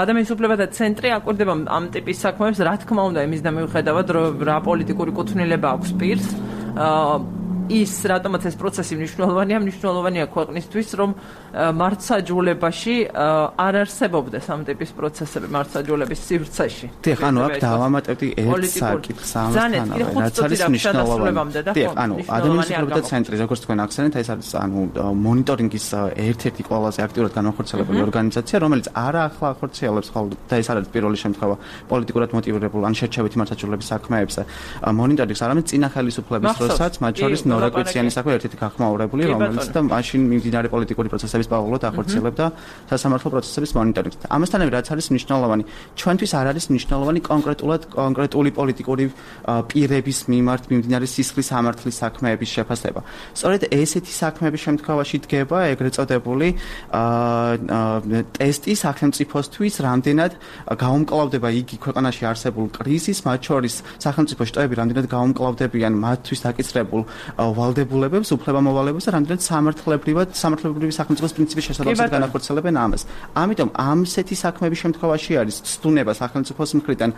ადამიანის უფლებათა ცენტრი აკვირდება ამ ტიპის საქმეებს, რა თქმა უნდა, იმის და მიუხედავად, რომ რა პოლიტიკური კუთვნილება აქვს პირს. ის რატომაც ეს პროცესი მნიშვნელოვანია, მნიშვნელოვანია ქვეყნისთვის, რომ მართსაჯულებაში არ არსებობდეს ამ ტიპის პროცესები მართსაჯულების სივრცეში. დიახ, ანუ აქ დავამატებდი ერთ საკითხს ამასთანავე, რაც არის მნიშვნელოვანი. დიახ, ანუ ადამიანის უფლებათა ცენტრი, როგორც თქვენ ახსენეთ, ეს არის ანუ მონიტორინგის ერთ-ერთი ყველაზე აქტიურად განახორციელებული ორგანიზაცია, რომელიც არა ახლა ახორციელებს ხოლმე და ეს არის პირველი შემთხვევა პოლიტიკურად მოტივირებული ან შერჩევითი მართსაჯულების საქმეებზე. მონიტორინგს არამედ წინა ხელისუფლების დროსაც, მათ შორის ნორაკვიციანის საქმე ერთ-ერთი გახმაურებული, რომელიც და მაშინ მიმდინარე პოლიტიკური პროცესების პარალელურად ახორციელებდა სასამართლო პროცესების მონიტორინგს. ამასთანავე რაც არის მნიშვნელოვანი, ჩვენთვის არ არის მნიშვნელოვანი კონკრეტულად კონკრეტული პოლიტიკური პირების მიმართ მიმდინარე სისხლის სამართლის საქმეების შეფასება. სწორედ ესეთი საქმეების შემთხვევაში დგება ეგრეთ წოდებული ტესტი სახელმწიფოსთვის, რამდენად გაუმკლავდება იგი ქვეყანაში არსებულ კრიზისს, მათ შორის სახელმწიფო შტოები რამდენად გაუმკლავდებიან მათთვის დაკისრებულ ვალდებულებებს, უფლებამოვალებებს და რამდენად სამართლებრივად, სამართლებრივი სახელმწიფოს პრინციპის შესაძლებლად განახორციელებენ ამას. ამიტომ ამსეთი საქმეების შემთხვევაში არის ცდუნება სახელმწიფოს მხრიდან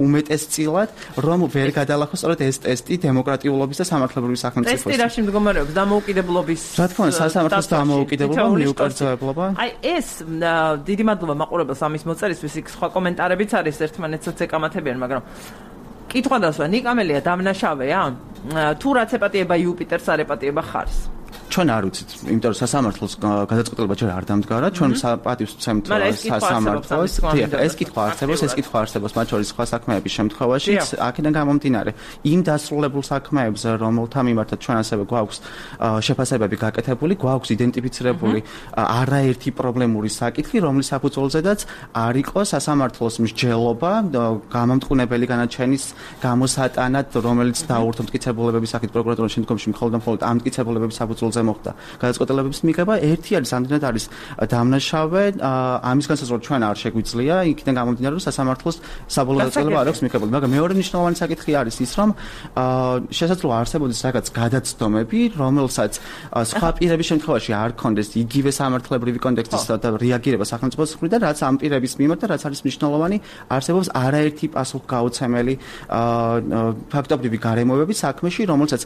უმეტესწილად, რომ ვერ გადალახოს სწორედ ეს ტესტი დემოკრატიულობის და სამართლებრივი სახელმწიფოს. ტესტი რაში მდგომარეობს? დამოუკიდებლობის. რა თქმა უნდა, სასამართლოს დამოუკიდებლობა, მიუკერძოებლობა. აი ეს დიდი მადლობა მაყურებელს ამის მოწერისთვის, იქ სხვა კომენტარებიც არის ერთმანეთსაც ეკამათებიან, მაგრამ კითხვა დასვა, ნიკამელია დამნაშავეა? თუ რაც ეპატიება იუპიტერს, არ ეპატიება ხარს? ჩვენ არ ვიცით, იმიტომ რომ სასამართლოს გადაწყვეტილება ჯერ არ დამდგარა, ჩვენ პატივს ვცემთ სასამართლოს. ეს კითხვა არსებობს, ეს კითხვა არსებობს მათ შორის სხვა საქმეების შემთხვევაში, აქედან გამომდინარე, იმ დასრულებულ საქმეებს, რომელთა მიმართაც ჩვენ ასევე გვაქვს შეფასებები გაკეთებული, გვაქვს იდენტიფიცირებული არაერთი პრობლემური საკითხი, რომლის საფუძველზედაც არ იყო სასამართლოს მსჯელობა გამამტყუნებელი განაჩენის გამოსატანად, რომელიც დაურთო მტკიცებულებების საკითხ პროკურატურის შემდგომში მხოლოდ და მხოლოდ ამ მტკიცებულებების საფუძველზე მოხდა გადაწყვეტილებების მიღება. ერთი არის ამდენად არის დამნაშავე, ამის განსაზღვრა ჩვენ არ შეგვიძლია, იქიდან გამომდინარე, რომ სასამართლოს საბოლოო გადაწყვეტილება არ აქვს მიღებული. მაგრამ მეორე მნიშვნელოვანი საკითხი არის ის, რომ შესაძლოა არსებობდეს რაღაც გადაცდომები, რომელსაც სხვა პირების შემთხვევაში არ ქონდეს იგივე სამართლებრივი კონტექსტის და რეაგირება სახელმწიფოს მხრიდან, რაც ამ პირების მიმართ და რაც არის მნიშვნელოვანი, არსებობს არაერთი პასუხგაუცემელი ფაქტობრივი გარემოებები საქმეში, რომელსაც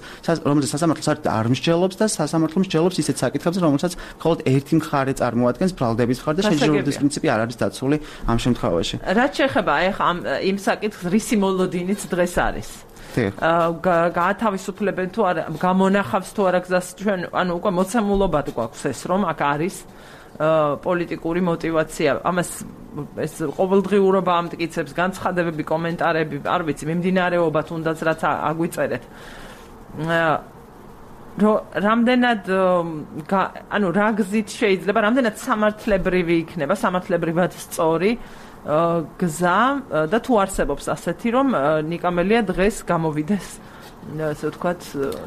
რომელსაც სასამართლოს არ მსჯელობს და სასამართლო მსჯელობს ისეთ საკითხებზე, რომელსაც მხოლოდ ერთი მხარე წარმოადგენს, ბრალდების მხარე და შეჯიბრებების პრინციპი არ არის დაცული ამ შემთხვევაში. რაც შეეხება აი ხა იმ საკითხს, რისი მოლოდინიც დღეს არის. გაათავისუფლებენ თუ არა, გამონახავს თუ არა გზას ჩვენ, ანუ უკვე მოცემულობად გვაქვს ეს, რომ აქ არის პოლიტიკური мотиваცია. ამას ეს ყოველდღიურობა ამტკიცებს, განცხადებები, კომენტარები, არ ვიცი, მიმდინარეობა თუნდაც რაც აგვიწერეთ. რამდენად ანუ რა გზით შეიძლება, რამდენად სამართლებრივი იქნება, სამართლებრივად სწორი გზა და თუ არსებობს ასეთი, რომ ნიკამელია დღეს გამოვიდეს ასე ვთქვათ,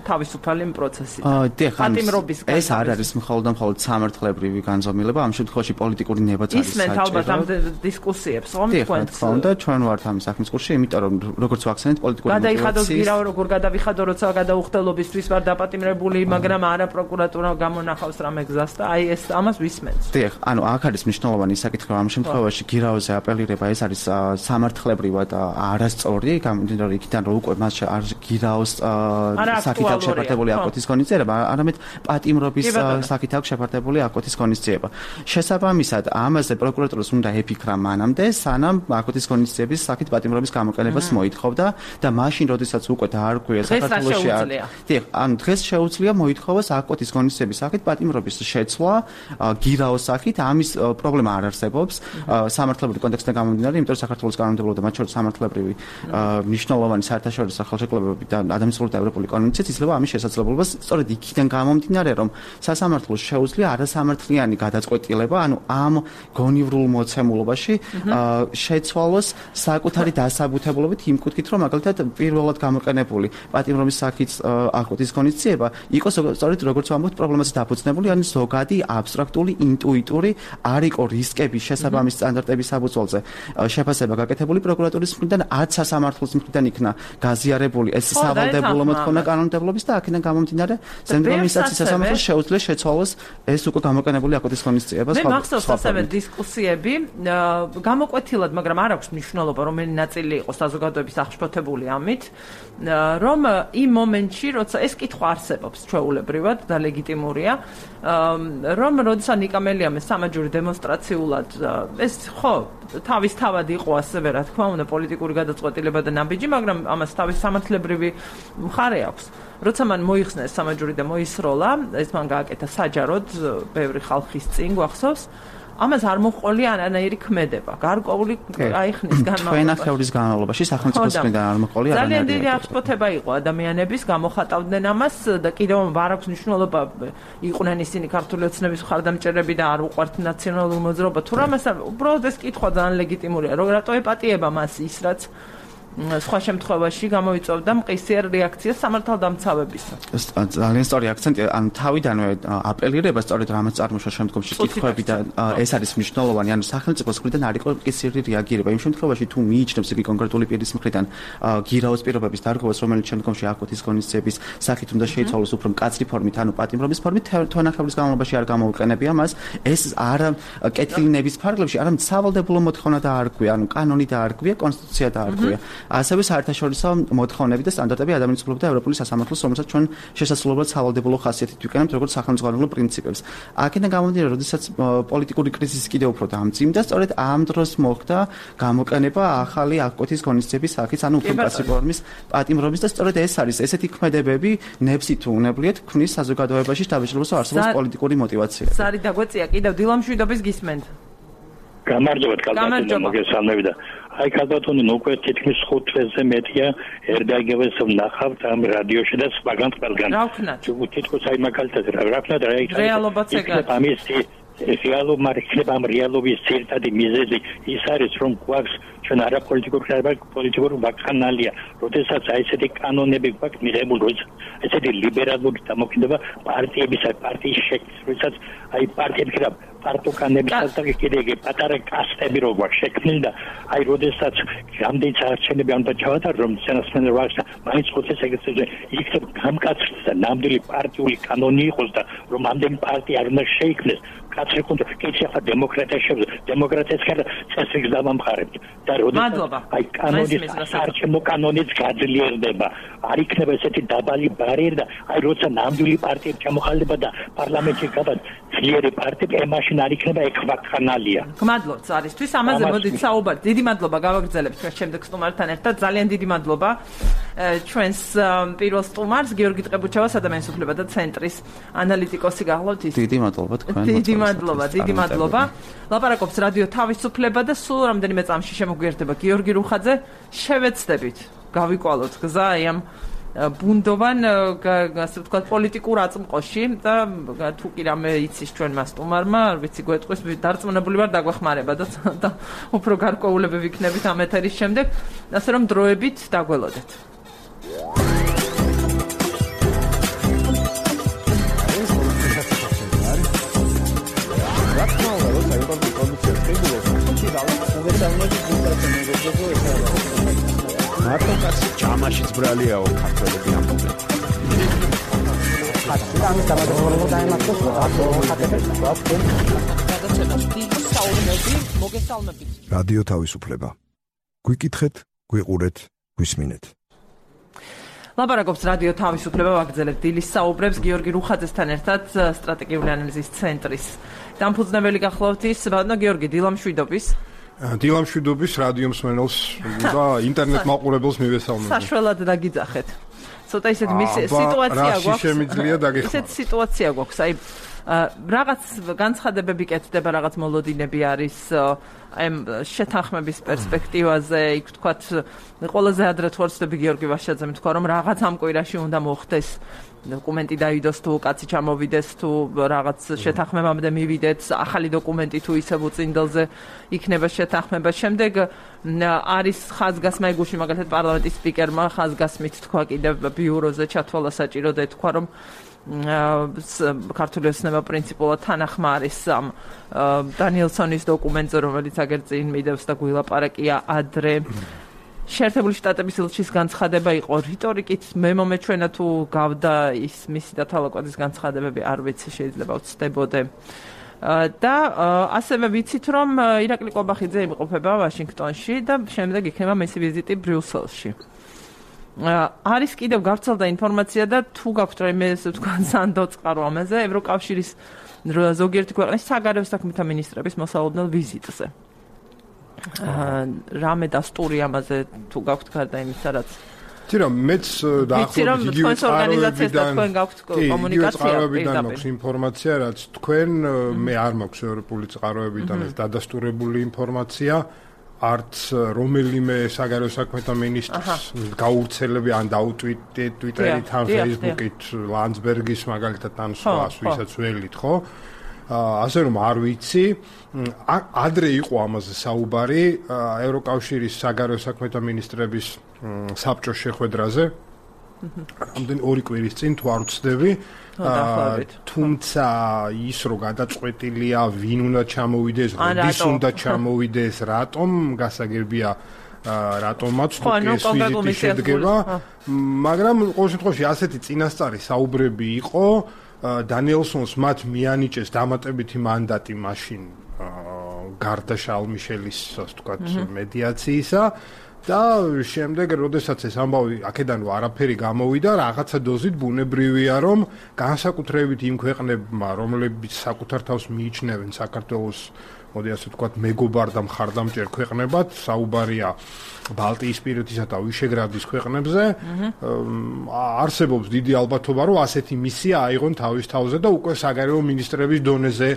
თავისუფალი პროცესით. პატიმრობის განმავლობაში. ეს არ არის მხოლოდ და მხოლოდ სამართლებრივი განზომილება, ამ შემთხვევაში პოლიტიკური ნებაც არის საჭირო. ისმენთ ალბათ ამ დისკუსიებს, რომ თქვენ თქვა და ჩვენ ვართ ამის საქმის კურსში, იმიტომ რომ როგორც ვახსენეთ პოლიტიკური გადაიხადოს გირავ როგორ გადავიხადო, როცა გადაუხდელობისთვის ვარ დაპატიმრებული, მაგრამ არა პროკურატურა გამონახავს რამე გზას და აი ეს ამას ვისმენთ. დიახ, ანუ აქ არის მნიშვნელოვანი საკითხი, რომ ამ შემთხვევაში გირავზე აპელირება ეს არის სამართლებრივად არასწორი, გამომდინარე იქიდან რომ უკვე მას არ გირავ საკითხი აქვს შეფარდებული აკოთის კონიციება, არამედ პატიმრობის საკითხი აქვს შეფარდებული აკოთის კონიციება. შესაბამისად, ამაზე პროკურატურას უნდა ეფიქრა მანამდე, სანამ აკოთის კონიციების საკითხ პატიმრობის გამოყენებას მოითხოვდა და მაშინ, როდესაც უკვე დაარღვია საქართველოში არ. დიახ, ანუ დღეს შეუძლია მოითხოვოს აკოთის კონიციების საკითხ პატიმრობის შეცვლა გირაოს საკითხ, ამის პრობლემა არ არსებობს სამართლებრივი კონტექსტიდან გამომდინარე, იმიტომ რომ საქართველოს კანონმდებლობა და მათ შორის სამართლებრივი მნიშვნელოვანი საერთაშორისო ხელშეკრულებები და ადამიანური და ევროპული კონვენციით იძლევა ამის შესაძლებლობას, სწორედ იქიდან გამომდინარე, რომ სასამართლოს შეუძლია არასამართლიანი გადაწყვეტილება, ანუ ამ გონივრულ მოცემულობაში შეცვალოს საკუთარი დასაბუთებულობით იმ კუთხით, რომ მაგალითად პირველად გამოყენებული პატიმრობის საკითხის აკოთის კონიციება იყოს სწორედ როგორც ვამბობთ, პრობლემაზე დაფუძნებული, ან ზოგადი აბსტრაქტული, ინტუიტური არ იყო რისკების შესაბამის სტანდარტების საფუძველზე შეფასება გაკეთებული პროკურატურის მხრიდან, ათ სასამართლოს მხრიდან იქნა გაზიარებული ეს სავალდებულო მოთხოვნა კანონმდებლობის და აქედან გამომდინარე ზემდრომისაციის სასამართლოს შეუძლია შეცვალოს ეს უკვე გამოყენებული აკოთის კონიციება. მე მახსოვს ასევე დისკუსიები გამოკვეთილად, მაგრამ არ აქვს მნიშვნელობა, რომელი ნაწილი იყოს საზოგადოების აღშფოთებული ამით, რომ იმ მომენტში, როცა ეს კითხვა არსებობს ჩვეულებრივად და ლეგიტიმურია, რომ როდესაც ნიკამელიამ სამაჯური დემონსტრაციულად ეს ხო თავის თავად იყო ასევე რა თქმა უნდა პოლიტიკური გადაწყვეტილება და ნაბიჯი, მაგრამ ამას თავის სამართლებრივი მხარე აქვს. როცა მან მოიხსნა სამაჯური და მოისროლა, ეს მან გააკეთა საჯაროდ ბევრი ხალხის წინ გვახსოვს. ამას არ მოყოლი არანაირი ქმედება. გარკვეული აიხნის განმავლობაში. ჩვენახევრის განმავლობაში სახელმწიფოს მხრიდან არ მოყოლი არანაირი. ძალიან დიდი აღშფოთება იყო ადამიანების, გამოხატავდნენ ამას და კიდევ არ აქვს მნიშვნელობა იყვნენ ისინი ქართული ოცნების მხარდამჭერები და არ უყვართ ნაციონალური მოძრაობა. თუ რამეს უბრალოდ ეს კითხვა ძალიან ლეგიტიმურია. რომ რატო ეპატიება მას ის რაც სხვა შემთხვევაში გამოიწვევდა მყისიერ რეაქციას სამართალდამცავებისა. ძალიან სწორი აქცენტი, ანუ თავიდანვე აპელირება სწორედ რამაც წარმოშვა შემდგომში კითხვები და ეს არის მნიშვნელოვანი, ანუ სახელმწიფოს მხრიდან არ იყო მყისიერი რეაგირება. იმ შემთხვევაში თუ მიიჩნევს იგი კონკრეტული პირის მხრიდან გირაოს პირობების დარღვევას, რომელიც შემდგომში აკუთის ღონისძიების სახით უნდა შეიცვალოს უფრო მკაცრი ფორმით, ანუ პატიმრობის ფორმით, თვენახევრის განმავლობაში არ გამოუყენებია მას. ეს არა კეთილი ნების ფარგლებში, არამედ სავალდებულო მოთხოვნა დაარღვია, ანუ კანონი დაარღვია, კონსტიტუცია დაარღვია. ასევე საერთაშორისო მოთხოვნები და სტანდარტები ადამიანის უფლებათა და ევროპული სასამართლოს, რომელსაც ჩვენ შესაძლებლად სავალდებულო ხასიათით ვიყენებთ როგორც სახელმძღვანელო პრინციპებს. აქედან გამომდინარე, როდესაც პოლიტიკური კრიზისი კიდევ უფრო დამძიმდა, სწორედ ამ დროს მოხდა გამოყენება ახალი აკუთის ღონისძიების სახით, ანუ უფრო მკაცრი ფორმის პატიმრობის და სწორედ ეს არის ესეთი ქმედებები, ნებსი თუ უნებლიეთ, ქმნის საზოგადოებაში შთაბეჭდილებას არსებობს პოლიტიკური მოტივაცია. ზარი დაგვეწია კიდევ დილამშვიდობის გისმენთ. გამარჯობათ, კალბატონო, მოგესალმები და აი კალბატონო, უკვე თითქმის ხუთ თვეზე მეტია ერდაგევეს ვნახავთ ამ რადიოში და სხვაგან ყველგან. რა ვქნათ? თითქოს აი მაგალითად რა ვქნათ, რა იქნება? რეალობაც ეგაა. ამისი რეალობა მარხება ამ რეალობის ძირითადი მიზეზი ის არის, რომ გვაქვს ჩვენ არა პოლიტიკურ ხარბა პოლიტიკური ვაკხანალია, როდესაც აი ესეთი კანონები გვაქვს მიღებული, როდესაც ესეთი ლიბერალური დამოკიდება პარტიების აი პარტიის შექმნის, როდესაც აი პარტიები და პარტოკანებისაც და კიდე იგი პატარა კასტები რო გვაქვს შექმნილი და აი როდესაც რამდენი საარჩევნები უნდა ჩავატარო, რომ სენასმენ ვახშა მაინც ხუთი სეგრეტარი იქნებ გამკაცრდეს და ნამდვილი პარტიული კანონი იყოს და რომ ამდენი პარტია არ უნდა შეიქმნეს კაცრი კონტ კეჩი ახლა დემოკრატია შეძლო დემოკრატიას ხარ წესრიგს დამამყარებთ და როდესაც აი კანონის საარჩევნო კანონიც გაძლიერდება არ იქნება ესეთი დაბალი ბარიერი და აი როცა ნამდვილი პარტიები ჩამოხალდება და პარლამენტში გადად ძლიერი პარტიები ემაშინ არ იქნება ექვაქანალია. გმადლობთ არისთვის ამაზე მოდით საუბარი. დიდი მადლობა გავაგრძელებთ ჩვენ შემდეგ სტუმართან ერთად. ძალიან დიდი მადლობა ჩვენს პირველ სტუმარს გიორგი ტყებუჩევას ადამიანის უფლებათა ცენტრის ანალიტიკოსი გახლავთ ის. დიდი მადლობა თქვენ. დიდი მადლობა, დიდი მადლობა. ლაპარაკობს რადიო თავისუფლება და სულ რამდენიმე წამში შემოგვიერთდება გიორგი რუხაძე. შევეცდებით გავიკვალოთ გზა აი ამ ბუნდოვან ასე ვთქვათ პოლიტიკურ აწმყოში და თუ კი რამე იცის ჩვენმა სტუმარმა, არ ვიცი გვეტყვის დარწმუნებული ვარ დაგვეხმარება და უფრო გარკვეულები ვიქნებით ამ ეთერის შემდეგ, ასე რომ დროებით დაგველოდეთ. მარტო კაცი ჯამაშიც ბრალიაო ქართველები ამბობენ. ამის გამარჯვება დაემართოს აკეთებს მოგესალმებით. რადიო თავისუფლება. გვიკითხეთ, გვიყურეთ, გვისმინეთ. ლაპარაკობს რადიო თავისუფლება ვაგრძელებთ დილის საუბრებს გიორგი რუხაძესთან ერთად სტრატეგიული ანალიზის ცენტრის დამფუძნებელი გახლავთ ის ბატონო გიორგი დილამშვიდობის. დილამშვიდობის რადიო მსმენელს და ინტერნეტ მაყურებელს მივესალმებით. საშველად დაგიძახეთ. ცოტა ისეთ სიტუაცია გვაქვს. ისეთ სიტუაცია გვაქვს. აი რაღაც განცხადებები კეთდება, რაღაც მოლოდინები არის აი შეთანხმების პერსპექტივაზე, იქ თქვათ ყველაზე ადრე თუ არ ვცდები გიორგი ვაშაძემ თქვა რომ რაღაც ამ კვირაში უნდა მოხდეს დოკუმენტი დაიდოს თუ კაცი ჩამოვიდეს თუ რაღაც შეთანხმებამდე მივიდეთ, ახალი დოკუმენტი თუ ისევ უწინდელზე იქნება შეთანხმება. შემდეგ არის ხაზგასმა იგუში მაგალითად პარლამენტის სპიკერმა ხაზგასმით თქვა კიდევ ბიუროზე ჩათვალა საჭირო და თქვა რომ ქართული ოცნება პრინციპულად თანახმა არის ამ დანიელსონის დოკუმენტზე, რომელიც აგერ წინ მიდევს და გვილაპარაკია ადრე. შეერთებული შტატების ელჩის განცხადება იყო რიტორიკით მე მომეჩვენა თუ გავდა ის მისი დათვალაკვალის განცხადებები არ ვიცი შეიძლება ვცდებოდე და ასევე ვიცით რომ ირაკლი ყობახიძე იმყოფება ვაშინგტონში და შემდეგ იქნება მისი ვიზიტი ბრიუსელში. არის კიდევ გავრცელდა ინფორმაცია და თუ გაქვთ რაიმე ესე ვთქვა სანდო წყარო ამაზე ევროკავშირის ზოგიერთი ქვეყნის საგარეო საქმეთა მინისტრების მოსალოდნელ ვიზიტზე. რამე დასტური ამაზე თუ გაქვთ გარდა იმისა რაც თირა მეც დაახლოებით იგივე ორგანიზაციასთან თქვენ გაქვთ კომუნიკაცია წყაროებიდან მაქვს ინფორმაცია რაც თქვენ მე არ მაქვს ევროპული წყაროებიდან ეს დადასტურებული ინფორმაცია არც რომელიმე საგარეო საქმეთა მინისტრის გაურცელები ან დაუტვიტეთ ტვიტერით ან ფეისბუქით ლანდსბერგის მაგალითად ან სხვას ვისაც ველით ხო ასე რომ არ ვიცი, ადრე იყო ამაზე საუბარი ევროკავშირის საგარეო საქმეთა მინისტრების საბჭოს შეხვედრაზე. ამდენ ორი კვირის წინ თუ არ ვცდები, თუმცა ის რომ გადაწყვეტილია ვინ უნდა ჩამოვიდეს, როდის უნდა ჩამოვიდეს, რატომ გასაგებია რატომაც თუ ეს ვიზიტი შედგება, მაგრამ ყოველ შემთხვევაში ასეთი წინასწარი საუბრები იყო, დანიელსონს მათ მიანიჭეს დამატებითი მანდატი მაშინ გარდა შარლ მიშელის, ასე ვთქვათ, მედიაციისა და შემდეგ, როდესაც ეს ამბავი აქედან არაფერი გამოვიდა, რაღაცა დოზით ბუნებრივია, რომ განსაკუთრებით იმ ქვეყნებმა, რომლებიც საკუთარ თავს მიიჩნევენ საქართველოს, მოდი ასე ვთქვათ, მეგობარ და მხარდამჭერ ქვეყნებად, საუბარია ბალტიისპირეთისა და ვიშეგრადის ქვეყნებზე, არსებობს დიდი ალბათობა, რომ ასეთი მისია აიღონ თავის თავზე და უკვე საგარეო მინისტრების დონეზე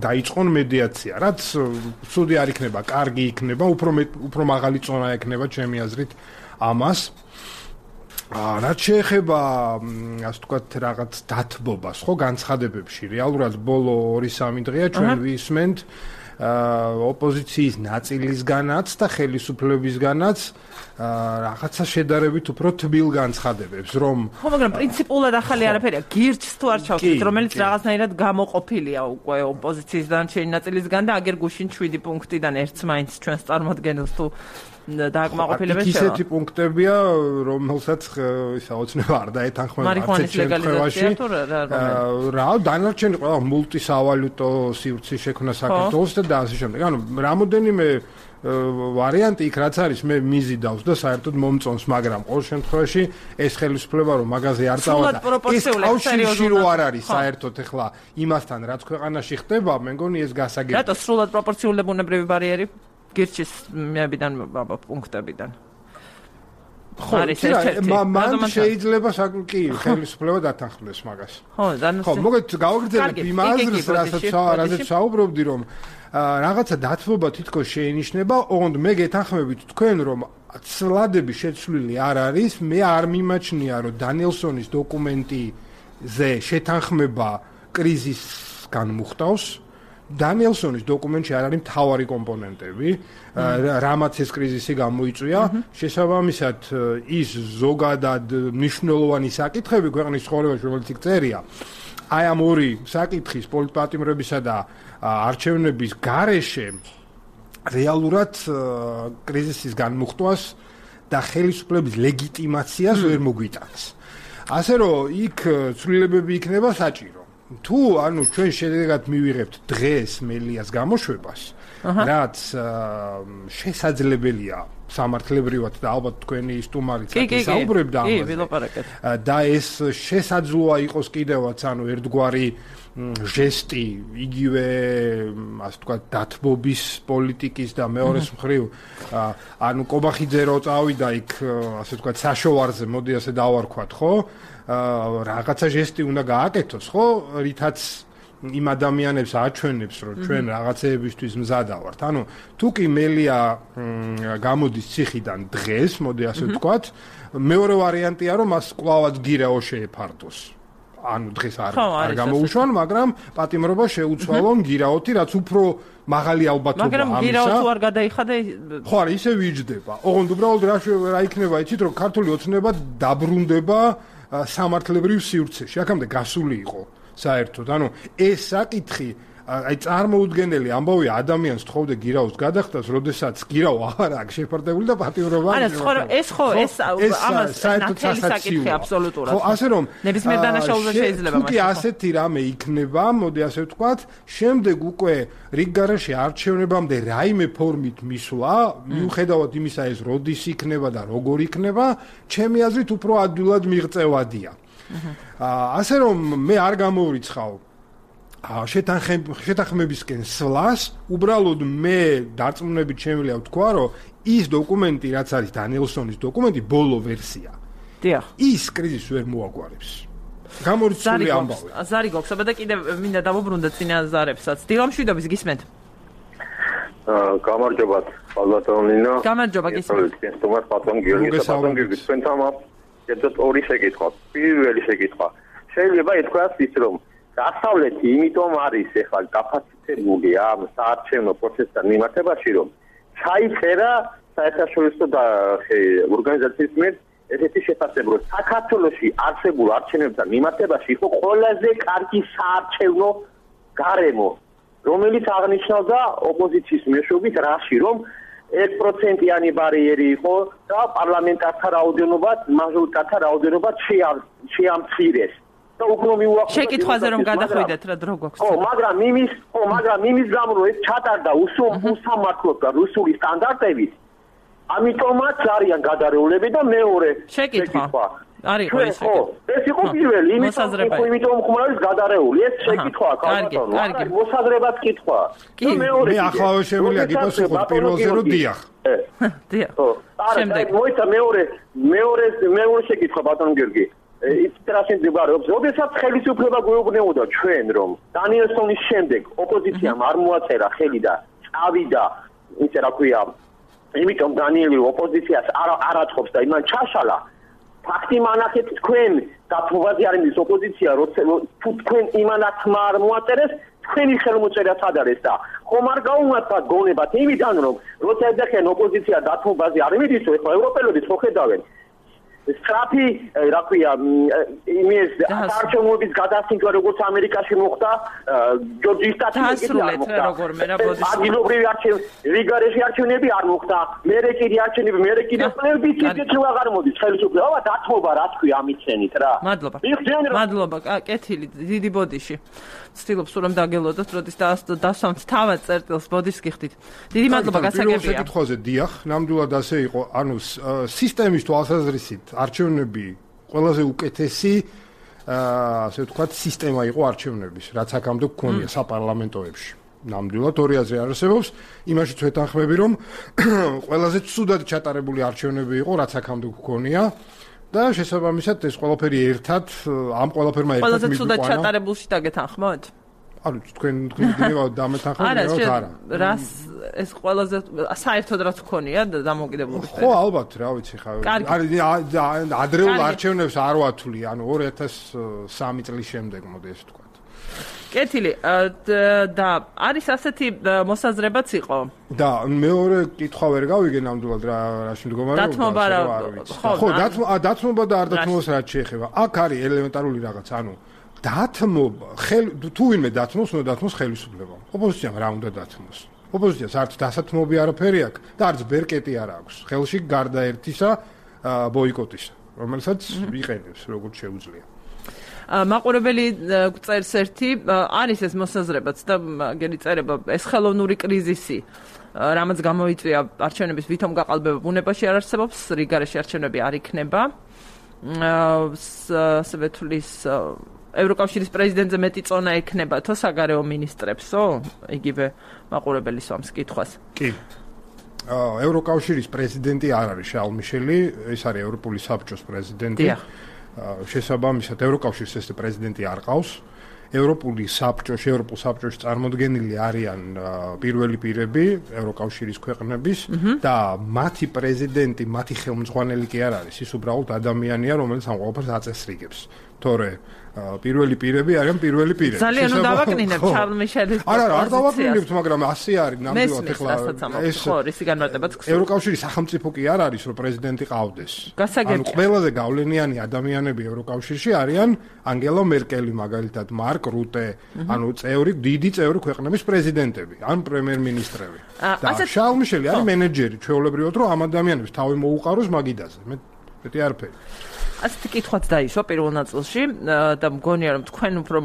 დაიწყონ მედიაცია, რაც ცუდი არ იქნება, კარგი იქნება, უფრო უფრო მაღალი წონა ექნება ჩემი აზრით ამას. რაც შეეხება, ასე ვთქვათ, რაღაც დათბობას, ხო, განცხადებებში, რეალურად ბოლო ორი სამი დღეა ჩვენ ვისმენთ ოპოზიციის ნაწილისგანაც და ხელისუფლებისგანაც რაღაცა შედარებით უფრო თბილ განცხადებებს, რომ ხო, მაგრამ პრინციპულად ახალი არაფერია, გირჩს თუ არ ჩავთვლით, რომელიც რაღაცნაირად გამოყოფილია უკვე ოპოზიციის დანარჩენი ნაწილისგან და აგერ გუშინ შვიდი პუნქტიდან ერთს მაინც ჩვენს წარმოადგენელს თუ დააკმაყოფილებს შევა. ისეთი პუნქტებია, რომელსაც ისა ოცნება არ დაეთანხმება მარიხუანის ლეგალიზაცია თუ რა, დანარჩენი ყველა მულტისავალუტო სივრცის შექმნა საქართველოს და ასე შემდეგ. ანუ რამოდენიმე ვარიანტი იქ რაც არის მე მიზიდავს და საერთოდ მომწონს, მაგრამ ყოველ შემთხვევაში ეს ხელისუფლება რომ მაგაზე არ წავა და ეს კავშირში რო არ არის საერთოდ ეხლა იმასთან რაც ქვეყანაში ხდება, მე მგონი ეს გასაგებია. რატო სრულად პროპორციული ბუნებრივი ბარიერი გირჩის მეებიდან პუნქტებიდან? ხო, მან შეიძლება კი ხელისუფლება დათანხმდეს მაგას. ხო, ხო, მოგეთ გავაგრძელებ იმ აზრს, რასაც საუბრობდი, რომ რაღაცა დათბობა თითქოს შეინიშნება, ოღონდ მე გეთანხმებით თქვენ, რომ ცვლადები შეცვლილი არ არის, მე არ მიმაჩნია, რომ დანიელსონის დოკუმენტიზე შეთანხმება კრიზისგან მოხდავს. დანიელსონის დოკუმენტში არ არის მთავარი კომპონენტები, რამაც ეს კრიზისი გამოიწვია, შესაბამისად ის ზოგადად მნიშვნელოვანი საკითხები ქვეყნის ცხოვრებაში, რომელიც იქ წერია, აი ამ ორი საკითხის პოლიტპატიმრებისა და არჩევნების გარეშე რეალურად კრიზისის განმუხტვას და ხელისუფლების ლეგიტიმაციას ვერ მოგვიტანს. ასე რომ იქ ცვლილებები იქნება საჭირო. თუ ანუ ჩვენ შედეგად მივიღებთ დღეს მელიას გამოშვებას, რაც შესაძლებელია სამართლებრივად და ალბათ თქვენი სტუმარიც საუბრებდა ამაზე. და ეს შესაძლოა იყოს კიდევაც ანუ ერთგვარი ჟესტი იგივე ასე ვთქვათ დათბობის პოლიტიკის და მეორეს მხრივ ანუ კობახიძე რო წავიდა იქ ასე ვთქვათ საშოვარზე, მოდი ასე დავარქვათ, ხო? რაღაცა ჟესტი უნდა გააკეთოს, ხო? რითაც იმ ადამიანებს აჩვენებს, რომ ჩვენ რაღაცეებისთვის მზადა ვართ. ანუ თუ კი მელია გამოდის ციხიდან დღეს, მოდი ასე ვთქვათ, მეორე ვარიანტია, რომ მას კვლავაც გირაო შეეფარდოს. ანუ დღეს არ არ გამოუშვან, მაგრამ პატიმრობა შეუცვალონ გირაოთი, რაც უფრო მაღალი ალბათობაა ამისა. მაგრამ გირაო თუ არ გადაიხადა, ხო, არა, ისე ვიჯდება. ოღონდ უბრალოდ რა რა იქნება, იცით, რომ ქართული ოცნება დაბრუნდება სამართლებრივ სივრცეში. აქამდე გასული იყო საერთოდ. ანუ ეს საკითხი აი წარმოუდგენელი ამბავია ადამიანს თხოვდა გირაოს გადახდას, როდესაც გირაო აღარ აქვს შეფარდებული და პატიმრობა. არა, ხო, ეს ხო, ეს ამას ნათელი საკითხი აბსოლუტურად. ხო, ასე რომ ნებისმიერ დანაშაულზე შეიძლება მაშინ. თუ კი ასეთი რამე იქნება, მოდი ასე ვთქვათ, შემდეგ უკვე რიგგარაში არჩევნებამდე რაიმე ფორმით მისვლა, მიუხედავად იმისა ეს როდის იქნება და როგორ იქნება, ჩემი აზრით უფრო ადვილად მიღწევადია. ასე რომ მე არ გამოვრიცხავ შეთანხმებისკენ სვლას, უბრალოდ მე დარწმუნებით შემიძლია ვთქვა, რომ ის დოკუმენტი, რაც არის დანიელსონის დოკუმენტი, ბოლო ვერსია. დიახ. ის კრიზისს ვერ მოაგვარებს. გამორიცხული ამბავი. ზარი გვაქვს, აბა და კიდევ მინდა დავუბრუნდეთ წინა ზარებსაც. დილამშვიდობის გისმენთ? აა, გამარჯობათ, ბალბატონინო. გამარჯობა, გისმენთ. თუმცა პატრონ გიორგი პატრონ გიორგი თქვენთან ამ ერთად ორი შეკითხვა. პირველი შეკითხვა. შეიძლება ითქვას ის, რომ დასავლეთი იმიტომ არის ეხლა გაფასწრებული ამ საარჩევნო პროცესთან მიმართებაში, რომ ჩაიწერა საერთაშორისო ორგანიზაციის მიერ ესეთი შეფასება, რომ საქართველოში არსებულ არჩევნებთან მიმართებაში იყო ყველაზე კარგი საარჩევნო გარემო, რომელიც აღნიშნავდა ოპოზიციის მეშვეობით რაში, რომ ერთ პროცენტიანი ბარიერი იყო და პარლამენტართა რაოდენობა, მაჟორიტართა რაოდენობა შეამცირეს. და უფრო მიუახლოვდა შეკითხვაზე რომ გადახვიდეთ რა დრო გვაქვს. ხო, მაგრამ იმის, ხო, მაგრამ იმის გამო რომ ეს ჩატარდა უსამართლოდ და რუსული სტანდარტებით, ამიტომაც არიან გადარეულები და მეორე შეკითხვა. არის ხო ეს შეკითხვა. ეს იყო პირველი, იმიტომ იმიტომ ხმარის გადარეული. ეს შეკითხვაა, კალბატონო. კარგი, მოსაზრებად კითხვა. კი, მე ახლავე შემიძლია გიპასუხოთ პირველზე რომ დიახ. დიახ. შემდეგ მოიცა მეორე მეორე მეორე შეკითხვა ბატონ გიორგი. ის ტრასენ დებარეობს. როდესაც ხელისუფლება გვეუბნებოდა ჩვენ რომ დანიელსონის შემდეგ ოპოზიციამ არ მოაწერა ხელი და წავიდა, ისე რა ქვია, იმიტომ დანიელი ოპოზიციას არ არაცხობს და იმან ჩაშალა. ფაქტი მანახეთ თქვენ დათმობაზე არ იმის ოპოზიცია, როცა თუ თქვენ იმანახმა არ მოაწერეს, თქვენი ხელმოწერა სად არის და ხომ არ გაუმართლად გონებათ იმიდან რომ როცა ეძახიან ოპოზიცია დათმობაზე არ იმის, ეხლა ევროპელები ხო ხედავენ სტრაფი, რა ქვია, იმის არჩევნების გადასინჯვა როგორც ამერიკაში მოხდა, ჯორჯის სტატისტიკით არ მოხდა. ადგილობრივი არჩევნები, რიგარეში არჩევნები არ მოხდა. მერე კიდე არჩევნები, მერე კიდე პლეიბი კიდე თუ აღარ მოდის ხელისუფლება, დათმობა რა თქვი ამიცენით რა. მადლობა. მადლობა, კეთილი, დიდი ბოდიში. ვცდილობ სულ რომ დაგელოდოთ, როდის დასვამთ თავად წერტილს ბოდიშს გიხდით. დიდი მადლობა, გასაგებია. პირველ შეკითხვაზე დიახ, ნამდვილად ასე იყო, ანუ სისტემის თვალსაზრისით არჩევნები ყველაზე უკეთესი ასე ვთქვათ სისტემა იყო არჩევნების, რაც აქამდე გქონია საპარლამენტოებში. ნამდვილად ორი აზრი არსებობს, იმაშიც ვეთანხმები, რომ ყველაზე ცუდად ჩატარებული არჩევნები იყო, რაც აქამდე გქონია. და შესაბამისად ეს ყველაფერი ერთად ამ ყველაფერმა ერთად მიგვიყვანა. ყველაზე ცუდად ჩატარებულში დაგეთანხმოთ? ანუ თქვენ თქვენ დამეთანხმებთ არა. რას ეს ყველაზე საერთოდ რაც გქონია დამოუკიდებლობის ხო, ალბათ, რა ვიცი ხა. არის ადრეულ არჩევნებს არ ვათვლი, ანუ ორი ათას სამი წლის შემდეგ მოდი ეს ვთქვა. კეთილი და არის ასეთი მოსაზრებაც იყო. და მეორე კითხვა ვერ გავიგე ნამდვილად რა რაში მდგომარეობა. დათმობა რა ხო, დათმობა დათმობა და არ დათმობას რაც შეეხება. აქ არის ელემენტარული რაღაც, ანუ დათმობა ხელ თუ ვინმე დათმობს, უნდა დათმოს ხელისუფლება. ოპოზიციამ რა უნდა დათმოს? ოპოზიციას არც დასათმობი არაფერი აქვს და არც ბერკეტი არ აქვს. ხელში გარდა ერთისა ბოიკოტისა, რომელსაც იყენებს როგორც შეუძლია. მაყურებელი წერს ერთი, არის ეს მოსაზრებაც და გერი წერება, ეს ხელოვნური კრიზისი, რამაც გამოიწვია არჩევნების ვითომ გაყალბება ბუნებაში არ არსებობს, რიგარეში არჩევნები არ იქნება. ასევე თulis ევროკავშირის პრეზიდენტზე მეტი წონა ექნება თო საგარეო მინისტრებსო? იგივე მაყურებელი სვამს კითხვას. კი. ევროკავშირის პრეზიდენტი არ არის შარლ მიშელი, ეს არის ევროპული საბჭოს პრეზიდენტი. დიახ. შესაბამისად ევროკავშირის ეს პრეზიდენტი არ ყავს. ევროპული საბჭოში, ევროპულ საბჭოში წარმოდგენილი არიან პირველი პირები ევროკავშირის ქვეყნების და მათი პრეზიდენტი, მათი ხელმძღვანელი კი არ არის, ის უბრალოდ ადამიანია, რომელიც ამ ყველაფერს აწესრიგებს. თორე პირველი პირები არიან პირველი პირები. ძალიან უნდა დავაკნინებ შარლ მიშელის პოზიციას. არა, არ დავაკნინებთ, მაგრამ ასე არის ნამდვილად ეხლა ეს ხო, რისი განმარტებაც გსურთ. ევროკავშირის სახელმწიფო კი არ არის, რომ პრეზიდენტი ყავდეს. ანუ გასაგებია. ყველაზე გავლენიანი ადამიანები ევროკავშირში არიან ანგელა მერკელი მაგალითად, მარკ რუტე, ანუ წევრი, დიდი წევრი ქვეყნების პრეზიდენტები, ან პრემიერ-მინისტრები. და შარლ მიშელი არის მენეჯერი, ჩვეულებრივად რომ ამ ადამიანებს თავი მოუყაროს მაგიდაზე. მე მეტი არაფერი. ასეთი კითხვაც დაიშვა პირველ ნაწილში და მგონია რომ თქვენ უფრო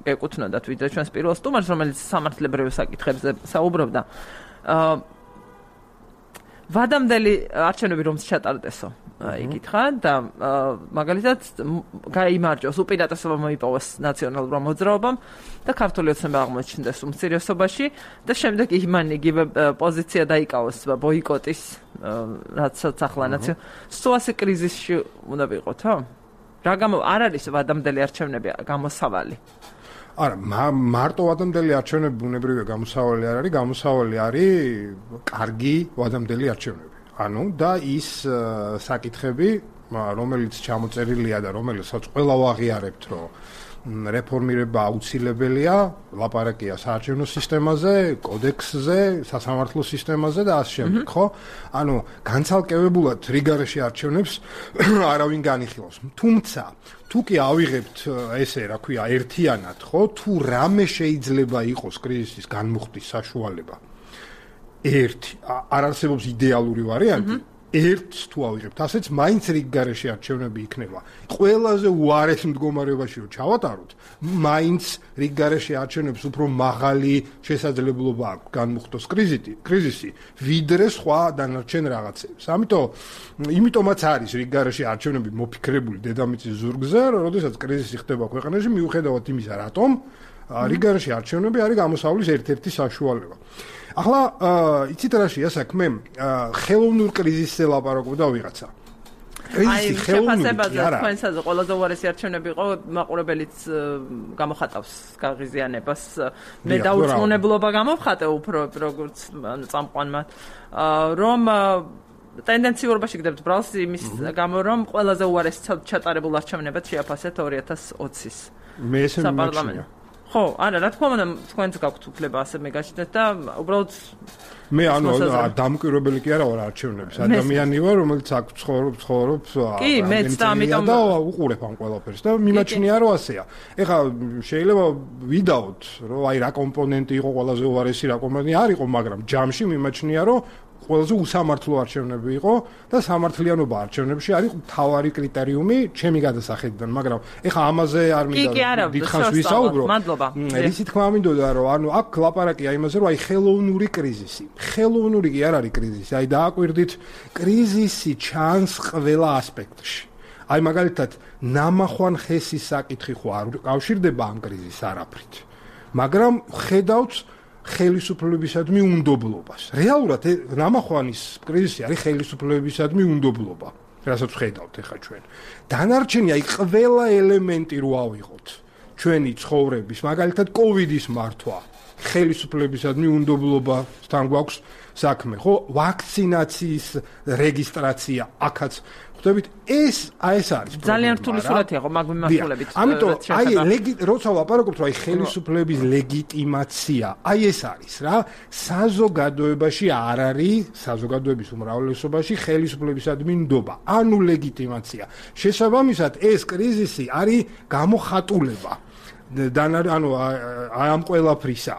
გეკუთვნოდათ ვიდრე ჩვენს პირველ სტუმარს, რომელიც სამართლებრივ საკითხებზე საუბრობდა. ვადამდელი არჩევნები რომს ჩატარდესო? იკითხა და მაგალითად გაიმარჯვოს, უპირატესობა მოიპოვოს ნაციონალურმა მოძრაობამ და ქართული ოცნება აღმოჩნდეს უმცირესობაში და შემდეგ იმან იგივე პოზიცია დაიკავოს ბოიკოტის, რაცაც ახლა ნაციონალ სოასი კრიზისში უნდა ვიყოთო? რა გამო არ არის ვადამდელი არჩევნები გამოსავალი? არა, მარტო ვადამდელი არჩევნები ბუნებრივია გამოსავალი არ არის, გამოსავალი არის კარგი ვადამდელი არჩევნები. ანუ და ის საკითხები, რომელიც ჩამოწერილია და რომელსაც ყველა ვაღიარებთ, რომ რეფორმირება აუცილებელია, ლაპარაკია საარჩევნო სისტემაზე, კოდექსზე, სასამართლო სისტემაზე და ასე შემდეგ, ხო? ანუ განცალკევებულად რიგარეში არჩევნებს არავინ განიხილავს. თუმცა, თუ კი ავიღებთ ესე, რა ქვია, ერთიანად, ხო? თუ რამე შეიძლება იყოს კრიზისის განმუხტვის საშუალება. ერთი, არ არსებობს იდეალური ვარიანტი. ერთს თუ ავიღებთ, ასეც მაინც რიგგარეში არჩევნები იქნება. ყველაზე უარეს მდგომარეობაში რომ ჩავატაროთ, მაინც რიგგარეში არჩევნებს უფრო მაღალი შესაძლებლობა აქვს განმუხტოს კრიზისი, კრიზისი, ვიდრე სხვა დანარჩენ რაღაცებს. ამიტომ, იმიტომაც არის რიგგარეში არჩევნები მოფიქრებული დედამიწის ზურგზე, როდესაც კრიზისი ხდება ქვეყანაში, მიუხედავად იმისა, რატომ რიგგარეში არჩევნები არის გამოსავლის ერთ-ერთი საშუალება. ახლა იცით რა შეა საქმე? ხელოვნურ კრიზისზე ლაპარაკობდა ვიღაცა. კრიზისი ხელოვნური არა. თქვენსაზე ყველაზე უარესი არჩევნები იყო, მაყურებელიც გამოხატავს გაღიზიანებას. მე დაუწმუნებლობა გამოვხატე უფრო როგორც წამყვანმა, რომ ტენდენციურობაში გდებთ ბრალს იმის გამო, რომ ყველაზე უარესი ჩატარებულ არჩევნებად შეაფასეთ ორი ათას ოცის. მე ესე მიმაჩნია. ხო, არა, რა თქმა უნდა, თქვენც გაქვთ უფლება ასე მეგაჩნდეთ და უბრალოდ მე ანუ დამკვირვებელი კი არა ვარ არჩევნების, ადამიანი ვარ, რომელიც აქ ცხოვრობს, ცხოვრობს კი, მეც და ამიტომ და უყურებ ამ ყველაფერს და მიმაჩნია რომ ასეა. ეხლა შეიძლება ვიდაოთ, რომ აი რა კომპონენტი იყო ყველაზე უარესი, რა კომპონენტი არ იყო, მაგრამ ჯამში მიმაჩნია რომ ყველაზე უსამართლო არჩევნები იყო და სამართლიანობა არჩევნებში არის მთავარი კრიტერიუმი ჩემი გადასახედიდან, მაგრამ ეხლა ამაზე არ მინდა დიდხანს ვისაუბრო. რისი თქმა მინდოდა რომ ანუ აქ ლაპარაკია იმაზე რომ აი ხელოვნური კრიზისი. ხელოვნური კი არ არის კრიზისი, აი დააკვირდით კრიზისი ჩანს ყველა ასპექტში. აი მაგალითად ნამახვან ხესის საკითხი ხო არ კავშირდება ამ კრიზისს არაფრით. მაგრამ ხედავთ ხელისუფლებისადმი უნდობლობას. რეალურად ნამახვანის კრიზისი არის ხელისუფლებისადმი უნდობლობა. რასაც ხედავთ ახლა ჩვენ. დანარჩენი აი ყველა ელემენტი რო ავიღოთ ჩვენი ცხოვრების, მაგალითად კოვიდის მართვა, ხელისუფლებისადმი უნდობლობასთან გვაქვს საქმე, ხო? ვაქცინაციის რეგისტრაცია, აქაც ხვდებით, ეს აი ეს არის ძალიან რთული სურათია ხო მაგ მიმართულებით. ამიტომ აი როცა ვაპარაკობთ რომ აი ხელისუფლების ლეგიტიმაცია, აი ეს არის რა, საზოგადოებაში არ არის, საზოგადოების უმრავლესობაში ხელისუფლებისადმი ნდობა, ანუ ლეგიტიმაცია. შესაბამისად ეს კრიზისი არის გამოხატულება. ანუ ამ ყველაფრისა.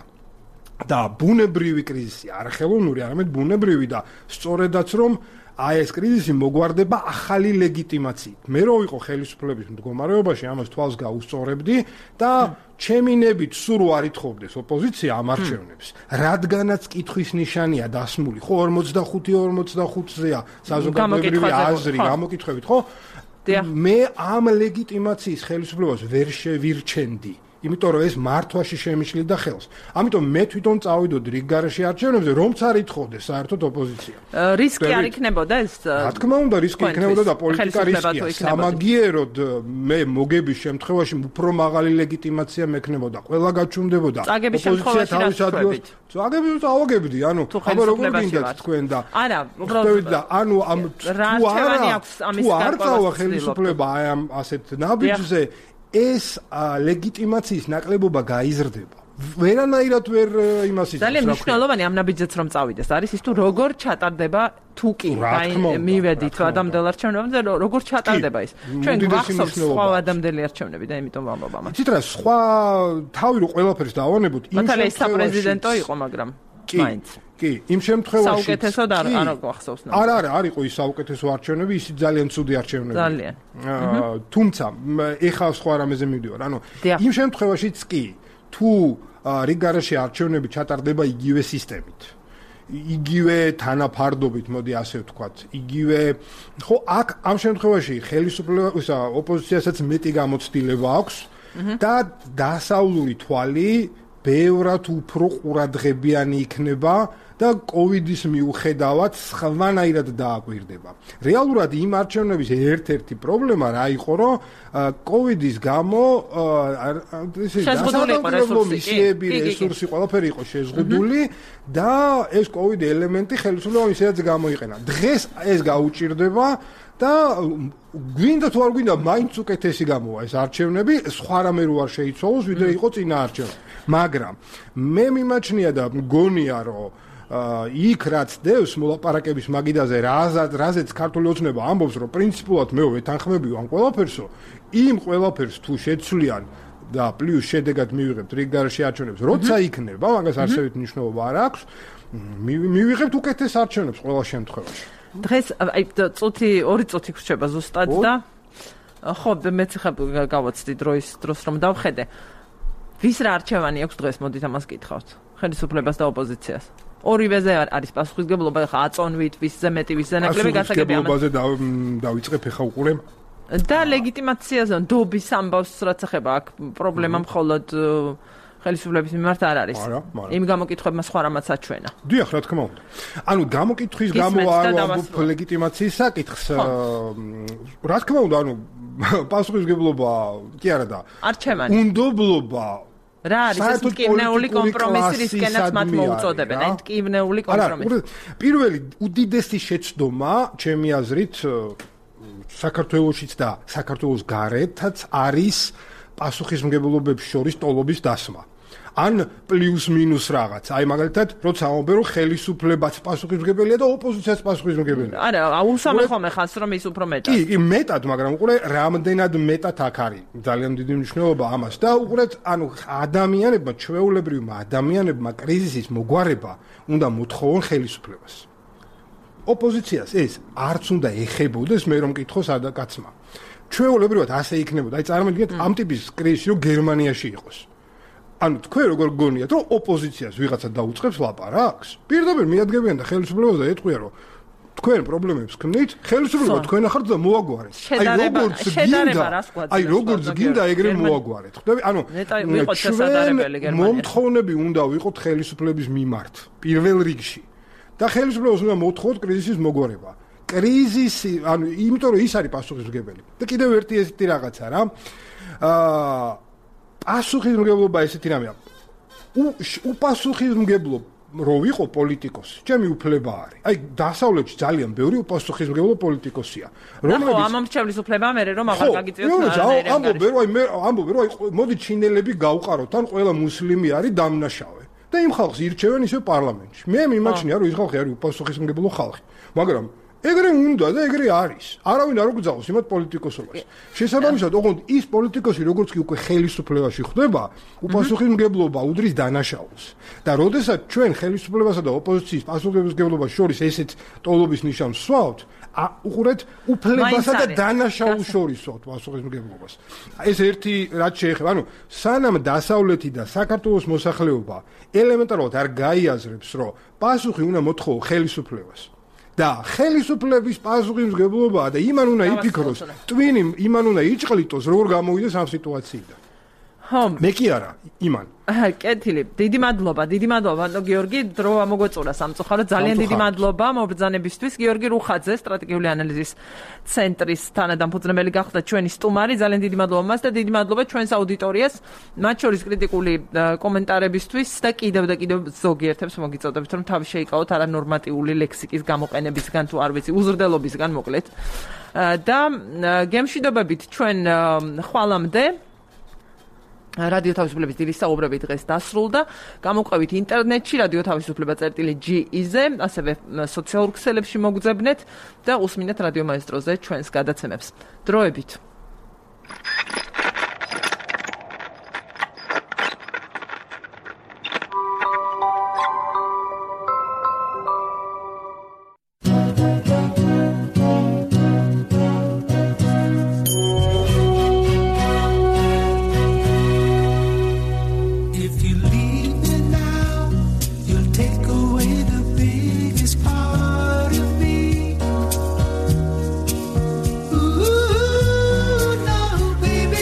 და ბუნებრივი კრიზისი, არ ხელოვნური, არამედ ბუნებრივი და სწორედაც რომ აი ეს კრიზისი მოგვარდება ახალი ლეგიტიმაციით. მე რო ვიყო ხელისუფლების მდგომარეობაში, ამას თვალს გაუსწორებდი და ჩემინებით სულ არ ითხოვდეს ოპოზიცია ამ არჩევნებს. რადგანაც კითხვის ნიშანია დასმული, ხო ორმოცდახუთი ორმოცდახუთზეა საზოგადოებრივი აზრი, გამოკითხვებით, ხო? მე ამ ლეგიტიმაციის ხელისუფლებას ვერ შევირჩენდი. იმიტომ რომ ეს მართვაში შემიშლიდა ხელს. ამიტომ მე თვითონ წავიდოდი რიგგარეში არჩევნებზე, რომც არ ითხოვდეს საერთოდ ოპოზიცია. რისკი არ იქნებოდა ეს? რა თქმა უნდა, რისკი იქნებოდა და პოლიტიკა რისკია. სამაგიეროდ მე მოგების შემთხვევაში უფრო მაღალი ლეგიტიმაცია მექნებოდა. ყველა გაჩუმდებოდა. ოპოზიცია თავის ადგილას. წაგები წავაგებდი, ანუ აბა როგორ გინდათ თქვენ და არა, უბრალოდ ანუ ამ თუ არა თუ არ წავა ხელისუფლება აი ამ ასეთ ნაბიჯზე ეს ლეგიტიმაციის ნაკლებობა გაიზრდება. ვერანაირად ვერ იმას იზრდება. ძალიან მნიშვნელოვანი ამ ნაბიჯზეც რომ წავიდეს. არის ის თუ როგორ ჩატარდება თუ კი მივედით ადამიანელ არჩევნებზე, როგორ ჩატარდება ის. ჩვენ გვახსოვს სხვა ადამიანელი არჩევნები და იმიტომ ვამბობ ამას. იცით რა, სხვა თავი რო ყველაფერს დავანებოთ, იმ შემთხვევაში საპრეზიდენტო იყო, მაგრამ მაინც კი, იმ შემთხვევაში საუკეთესო და არ გვახსოვს. არა, არა, არ იყო ის საუკეთესო არჩევნები, ისიც ძალიან ცუდი არჩევნები. ძალიან. თუმცა, ეხლა სხვა რამეზე მივდივარ. ანუ იმ შემთხვევაშიც კი, თუ რიგგარეში არჩევნები ჩატარდება იგივე სისტემით, იგივე თანაფარდობით, მოდი ასე ვთქვათ, იგივე, ხო, აქ ამ შემთხვევაში ხელისუფლებას ოპოზიციასაც მეტი გამოცდილება აქვს და დასავლური თვალი ბევრად უფრო ყურადღებიანი იქნება და კოვიდის მიუხედავად სხვანაირად დააკვირდება. რეალურად იმ არჩევნების ერთ-ერთი პრობლემა რა იყო, რომ კოვიდის გამო ესე დასაბუთებულო მისიები, რესურსი ყველაფერი იყო შეზღუდული და ეს კოვიდი ელემენტი ხელისუფლებამ ისედაც გამოიყენა. დღეს ეს გაუჭირდება და გვინდა თუ არ გვინდა მაინც უკეთესი გამოვა ეს არჩევნები, სხვა რამე რო არ შეიცვალოს, ვიდრე იყო წინა არჩევნები. მაგრამ მე მიმაჩნია და მგონია რომ იქ რაც დევს მოლაპარაკების მაგიდაზე რაზად რაზეც ქართული ოცნება ამბობს რომ პრინციპულად მე ვეთანხმებიო ამ ყველაფერსო იმ ყველაფერს თუ შეცვლიან და პლუს შედეგად მივიღებთ რიგდარში არჩევნებს როცა იქნება მაგას არსებით მნიშვნელობა არ აქვს მივიღებთ უკეთეს არჩევნებს ყველა შემთხვევაში დღეს აი წუთი ორი წუთი გრჩება ზუსტად და ხო მეც ხა გავაცდი დროის დროს რომ დავხედე ვის რა არჩევანი აქვს დღეს მოდით ამას გითხავთ ხელისუფლებას და ოპოზიციას ორივეზე არის პასუხისმგებლობა ხა აწონვით ვისზე მეტი ვისზე ნაკლები გასაგები ამას პასუხისმგებლობაზე დავიწყებ ხა უყურე და ლეგიტიმაციაზე დობის ამბავს რაც ეხება აქ პრობლემა მხოლოდ ხელისუფლების მიმართ არ არის. იმ გამოკითხვებმა სხვა რამაც აჩვენა. დიახ, რა თქმა უნდა. ანუ გამოკითხვის გამო არ ვამბობ ლეგიტიმაციის საკითხს. რა თქმა უნდა, ანუ პასუხისმგებლობა კი არა და არჩევანი. უნდობლობა რა არის ეს მტკივნეული კომპრომისი რისკენაც მათ მოუწოდებენ, აი მტკივნეული კომპრომისი. პირველი უდიდესი შეცდომა, ჩემი აზრით, საქართველოსიც და საქართველოს გარეთაც არის პასუხისმგებლობებს შორის ტოლობის დასმა. ან პლუს მინუს რაღაც. აი მაგალითად, როცა ამბობენ რომ ხელისუფლებაც პასუხისმგებელია და ოპოზიციაც პასუხისმგებელია. არა, აუსამე ხოლმე ხანს რომ ის უფრო მეტად. კი, კი, მეტად, მაგრამ უყურე, რამდენად მეტად აქ არის. ძალიან დიდი მნიშვნელობა ამას და უყურეთ, ანუ ადამიანებმა, ჩვეულებრივმა ადამიანებმა კრიზისის მოგვარება უნდა მოთხოვონ ხელისუფლებას. ოპოზიციას ეს არც უნდა ეხებოდეს, მე რომ მკითხო სადა კაცმა. ჩვეულებრივად ასე იქნებოდა. აი წარმოიდგინეთ ამ ტიპის კრიზისი რომ გერმანიაში იყოს. ანუ თქვენ როგორ გგონიათ რომ ოპოზიციას ვიღაცა დაუწყებს ლაპარაკს? პირდაპირ მიადგებიან და ხელისუფლებას და ეტყვიან რომ თქვენ პრობლემებს ქმნით, ხელისუფლება თქვენ ახართ და მოაგვარეთ. აი როგორც გინდა, აი როგორც გინდა ეგრე მოაგვარეთ. ხვდები? ანუ ჩვენ მომთხოვნები უნდა ვიყოთ ხელისუფლების მიმართ პირველ რიგში. და ხელისუფლებას უნდა მოთხოვოთ კრიზისის მოგვარება. კრიზისი, ანუ იმიტომ რომ ის არის პასუხისმგებელი. და კიდევ ერთი ესეთი რაღაცა რა. აა პასუხისმგებლობა ესეთი რამეა. უპასუხისმგებლო რო ვიყო პოლიტიკოსი, ჩემი უფლება არის. აი დასავლეთში ძალიან ბევრი უპასუხისმგებლო პოლიტიკოსია. რომლებიც ხო, ამომრჩევლის უფლება მე რომ აღარ გაგიწევთ რა. ამბობენ რომ აი მე ამბობენ რომ აი მოდი ჩინელები გავყაროთ, ან ყველა მუსლიმი არის დამნაშავე. და იმ ხალხს ირჩევენ ისე პარლამენტში. მე მიმაჩნია რომ ის ხალხი არის უპასუხისმგებლო ხალხი. მაგრამ ეგრე უნდა და ეგრე არის. არავინ არ უგზავნოს იმათ პოლიტიკოსობას. შესაბამისად, ოღონდ ის პოლიტიკოსი როგორც კი უკვე ხელისუფლებაში ხდება, უპასუხისმგებლობა უდრის დანაშაულს. და როდესაც ჩვენ ხელისუფლებასა და ოპოზიციის პასუხისმგებლობას შორის ესეთ ტოლობის ნიშანს ვსვავთ, უყურეთ, უფლებასა და დანაშაულს შორის ვსვავთ პასუხისმგებლობას. ეს ერთი რაც შეეხება, ანუ სანამ დასავლეთი და საქართველოს მოსახლეობა ელემენტარულად არ გაიაზრებს, რომ პასუხი უნდა მოთხოვო ხელისუფლებას. და ხელისუფლების პასუხისმგებლობაა და იმან უნდა იფიქროს, ტვინი იმან უნდა იჭყლიტოს, როგორ გამოვიდეს ამ სიტუაციიდან. ხო, მე კი არა, იმან. კეთილი, დიდი მადლობა, დიდი მადლობა, გიორგი, დრო ამოგვეწურა სამწუხაროდ, ძალიან დიდი მადლობა მობრძანებისთვის. გიორგი რუხაძე, სტრატეგიული ანალიზის ცენტრის თანადამფუძნებელი გახდა ჩვენი სტუმარი. ძალიან დიდი მადლობა მას და დიდი მადლობა ჩვენს აუდიტორიას, მათ შორის კრიტიკული კომენტარებისთვის და კიდევ და კიდევ ზოგიერთებს მოგიწოდებთ, რომ თავი შეიკავოთ არანორმატიული ლექსიკის გამოყენებისგან თუ არ ვიცი, უზრდელობისგან მოკლედ. და გემშვიდობებით ჩვენ ხვალამდე რადიო თავისუფლების დილის საუბრები დღეს დასრულდა. გამოყვებით ინტერნეტში რადიო თავისუფლება წერტილი ჯი-ზე, ასევე სოციალურ ქსელებში მოგძებნეთ და უსმინეთ რადიო მაესტროზე ჩვენს გადაცემებს. დროებით. Ooh, no, baby.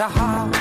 matter how